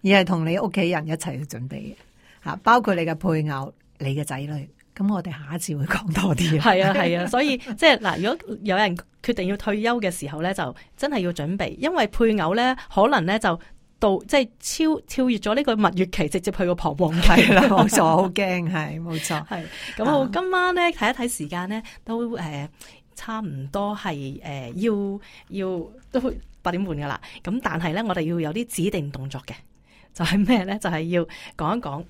S5: 而係同你屋企人一齊去準備嘅吓，包括你嘅配偶、你嘅仔女。咁我哋下一次會講多啲。
S3: 係啊係啊，所以即係嗱，如果有人決定要退休嘅時候咧，就真係要準備，因為配偶咧可能咧就到即係超超越咗呢個蜜月期，直接去個彷徨期
S5: 啦。冇錯，好驚，係冇錯。
S3: 係咁，好，今晚咧睇一睇時間咧，都誒、呃、差唔多係誒、呃、要要都八點半噶啦。咁但係咧，我哋要有啲指定動作嘅。就係咩咧？就係、是、要講一講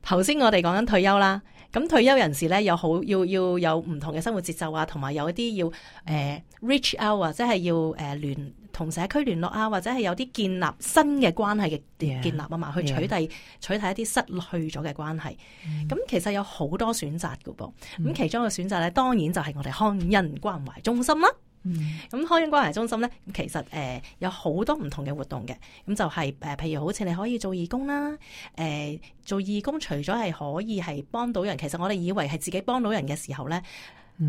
S3: 頭先我哋講緊退休啦。咁退休人士咧，有好要要有唔同嘅生活節奏啊，同埋有一啲要誒、呃、reach out 啊，即係要誒聯同社區聯絡啊，或者係有啲建立新嘅關係嘅建立啊嘛， yeah, 去取締 yeah. 取締一啲失去咗嘅關係。咁、mm. 其實有好多選擇㗎噃。咁、mm. 其中一個選擇咧，當然就係我哋康恩關懷中心啦。
S5: 嗯
S3: 咁康恩關懷中心咧，其實誒、呃、有好多唔同嘅活動嘅，咁就係、是、誒、呃，譬如好似你可以做義工啦，誒、呃、做義工除咗係可以係幫到人，其實我哋以為係自己幫到人嘅時候咧，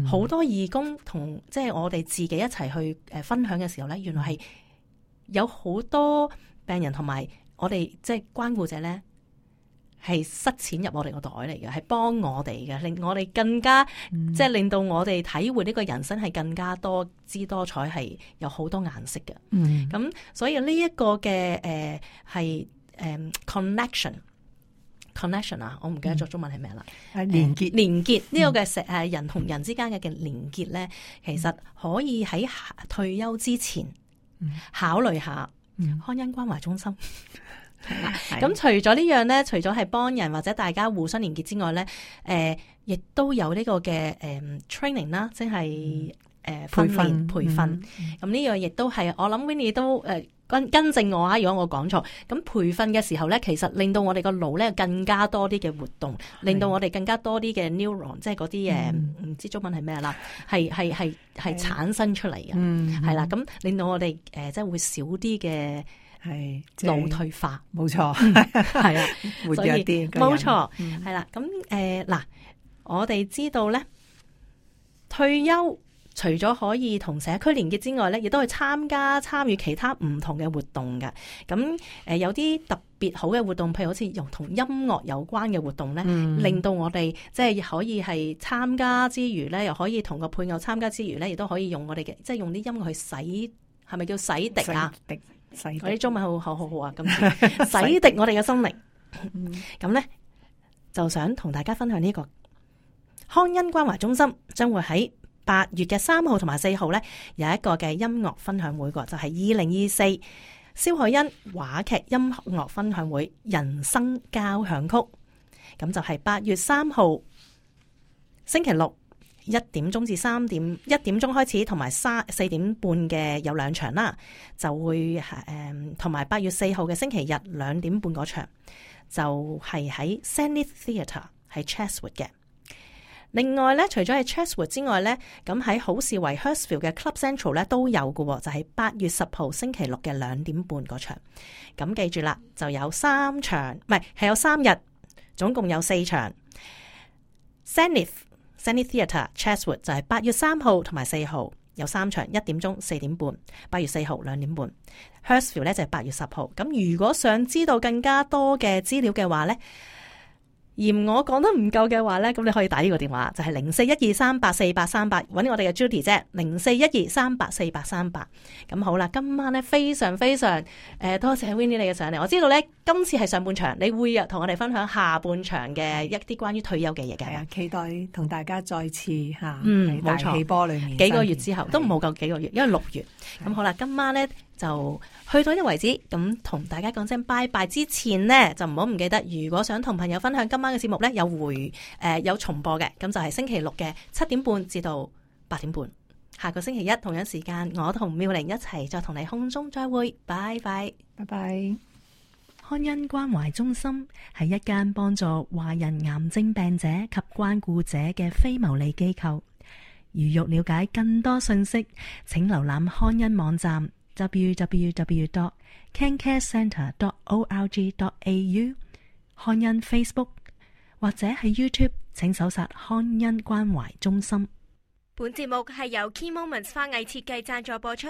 S3: 好、嗯、多義工同即係我哋自己一齊去誒分享嘅時候咧，原來係有好多病人同埋我哋即係關顧者咧。係塞錢入我哋個袋嚟嘅，係幫我哋嘅，令我哋更加、嗯、即係令到我哋體會呢個人生係更加多姿多彩，係有好多顏色嘅。咁、嗯、所以呢一個嘅誒係誒 connection connection 啊，我唔記得咗中文係咩啦。
S5: 係連結
S3: 連結呢個嘅誒、嗯、人同人之間嘅嘅連結咧，其實可以喺退休之前考慮下康恩關懷中心。咁除咗呢樣咧，除咗係幫人或者大家互相連結之外咧，誒、呃，亦都有呢個嘅誒、呃、training 啦，即係誒訓練培訓。咁呢、嗯、樣亦都係我諗 Winnie 都誒、呃、跟跟正我啊，如果我講錯。咁培訓嘅時候咧，其實令到我哋個腦咧更加多啲嘅活動，令到我哋更加多啲嘅 neuron，即係嗰啲誒唔知中文係咩啦，係係係係產生出嚟嘅，係、嗯、啦，咁令到我哋誒、呃、即係會少啲嘅。係腦退化，冇錯，係啊，活躍啲，冇錯，係啦。咁誒嗱，我哋知道咧，退休除咗可以同社區連結之外咧，亦都去參加參與其他唔同嘅活動嘅。咁誒、呃、有啲特別好嘅活動，譬如好似用同音樂有關嘅活動咧，嗯、令到我哋即係可以係參加之餘咧，又可以同個配偶參加之餘咧，亦都可以用我哋嘅，即係用啲音樂去洗，係咪叫洗滌啊？我啲中文好好好好啊！咁洗滌我哋嘅心靈，咁咧、嗯、就想同大家分享呢、這個康恩關懷中心將會喺八月嘅三號同埋四號咧有一個嘅音樂分享會，個就係二零二四蕭海恩話劇音樂分享會人生交響曲，咁就係八月三號星期六。一點鐘至三點，一點鐘開始，同埋三四點半嘅有兩場啦，就會誒同埋八月四號嘅星期日兩點半嗰場，就係喺 Zenith Theatre 喺 Chatswood 嘅。另外咧，除咗喺 Chatswood 之外咧，咁喺好士維 Hurstville 嘅 Club Central 咧都有嘅，就係、是、八月十號星期六嘅兩點半嗰場。咁記住啦，就有三場，唔係係有三日，總共有四場。Zenith Zenith Theatre Chatswood 就係八月三號同埋四號有三場，一點鐘、四點半。八月四號兩點半。Hurstville 咧就係八月十號。咁如果想知道更加多嘅資料嘅話咧，嫌我講得唔夠嘅話咧，咁你可以打呢個電話，就係零四一二三八四八三八，揾我哋嘅 Judy 啫，零四一二三八四八三八。咁好啦，今晚咧非常非常誒、呃，多謝 Winnie 你嘅上嚟。我知道咧今次係上半場，你會同我哋分享下半場嘅一啲關於退休嘅嘢嘅。係啊，期待同大家再次吓，嗯，冇錯，氣波裏面幾個月之後都唔冇夠幾個月，因為六月。咁好啦，今晚咧就去到呢為止，咁同大家講聲拜拜之前呢，就唔好唔記得，如果想同朋友分享今晚嘅節目咧，有回誒、呃、有重播嘅，咁就係星期六嘅七點半至到八點半。下個星期一同樣時間，我同妙玲一齊再同你空中再會，拜拜，拜拜。康恩關懷中心係一間幫助華人癌症病者及關顧者嘅非牟利機構。如欲了解更多信息，請瀏覽康恩網站 double-u double-u double-u dot cancare centre dot org dot a u， 康恩 Facebook 或者喺 YouTube 請搜索康恩關懷中心。
S2: 本節目係由 Key Moments 花藝設計贊助播出。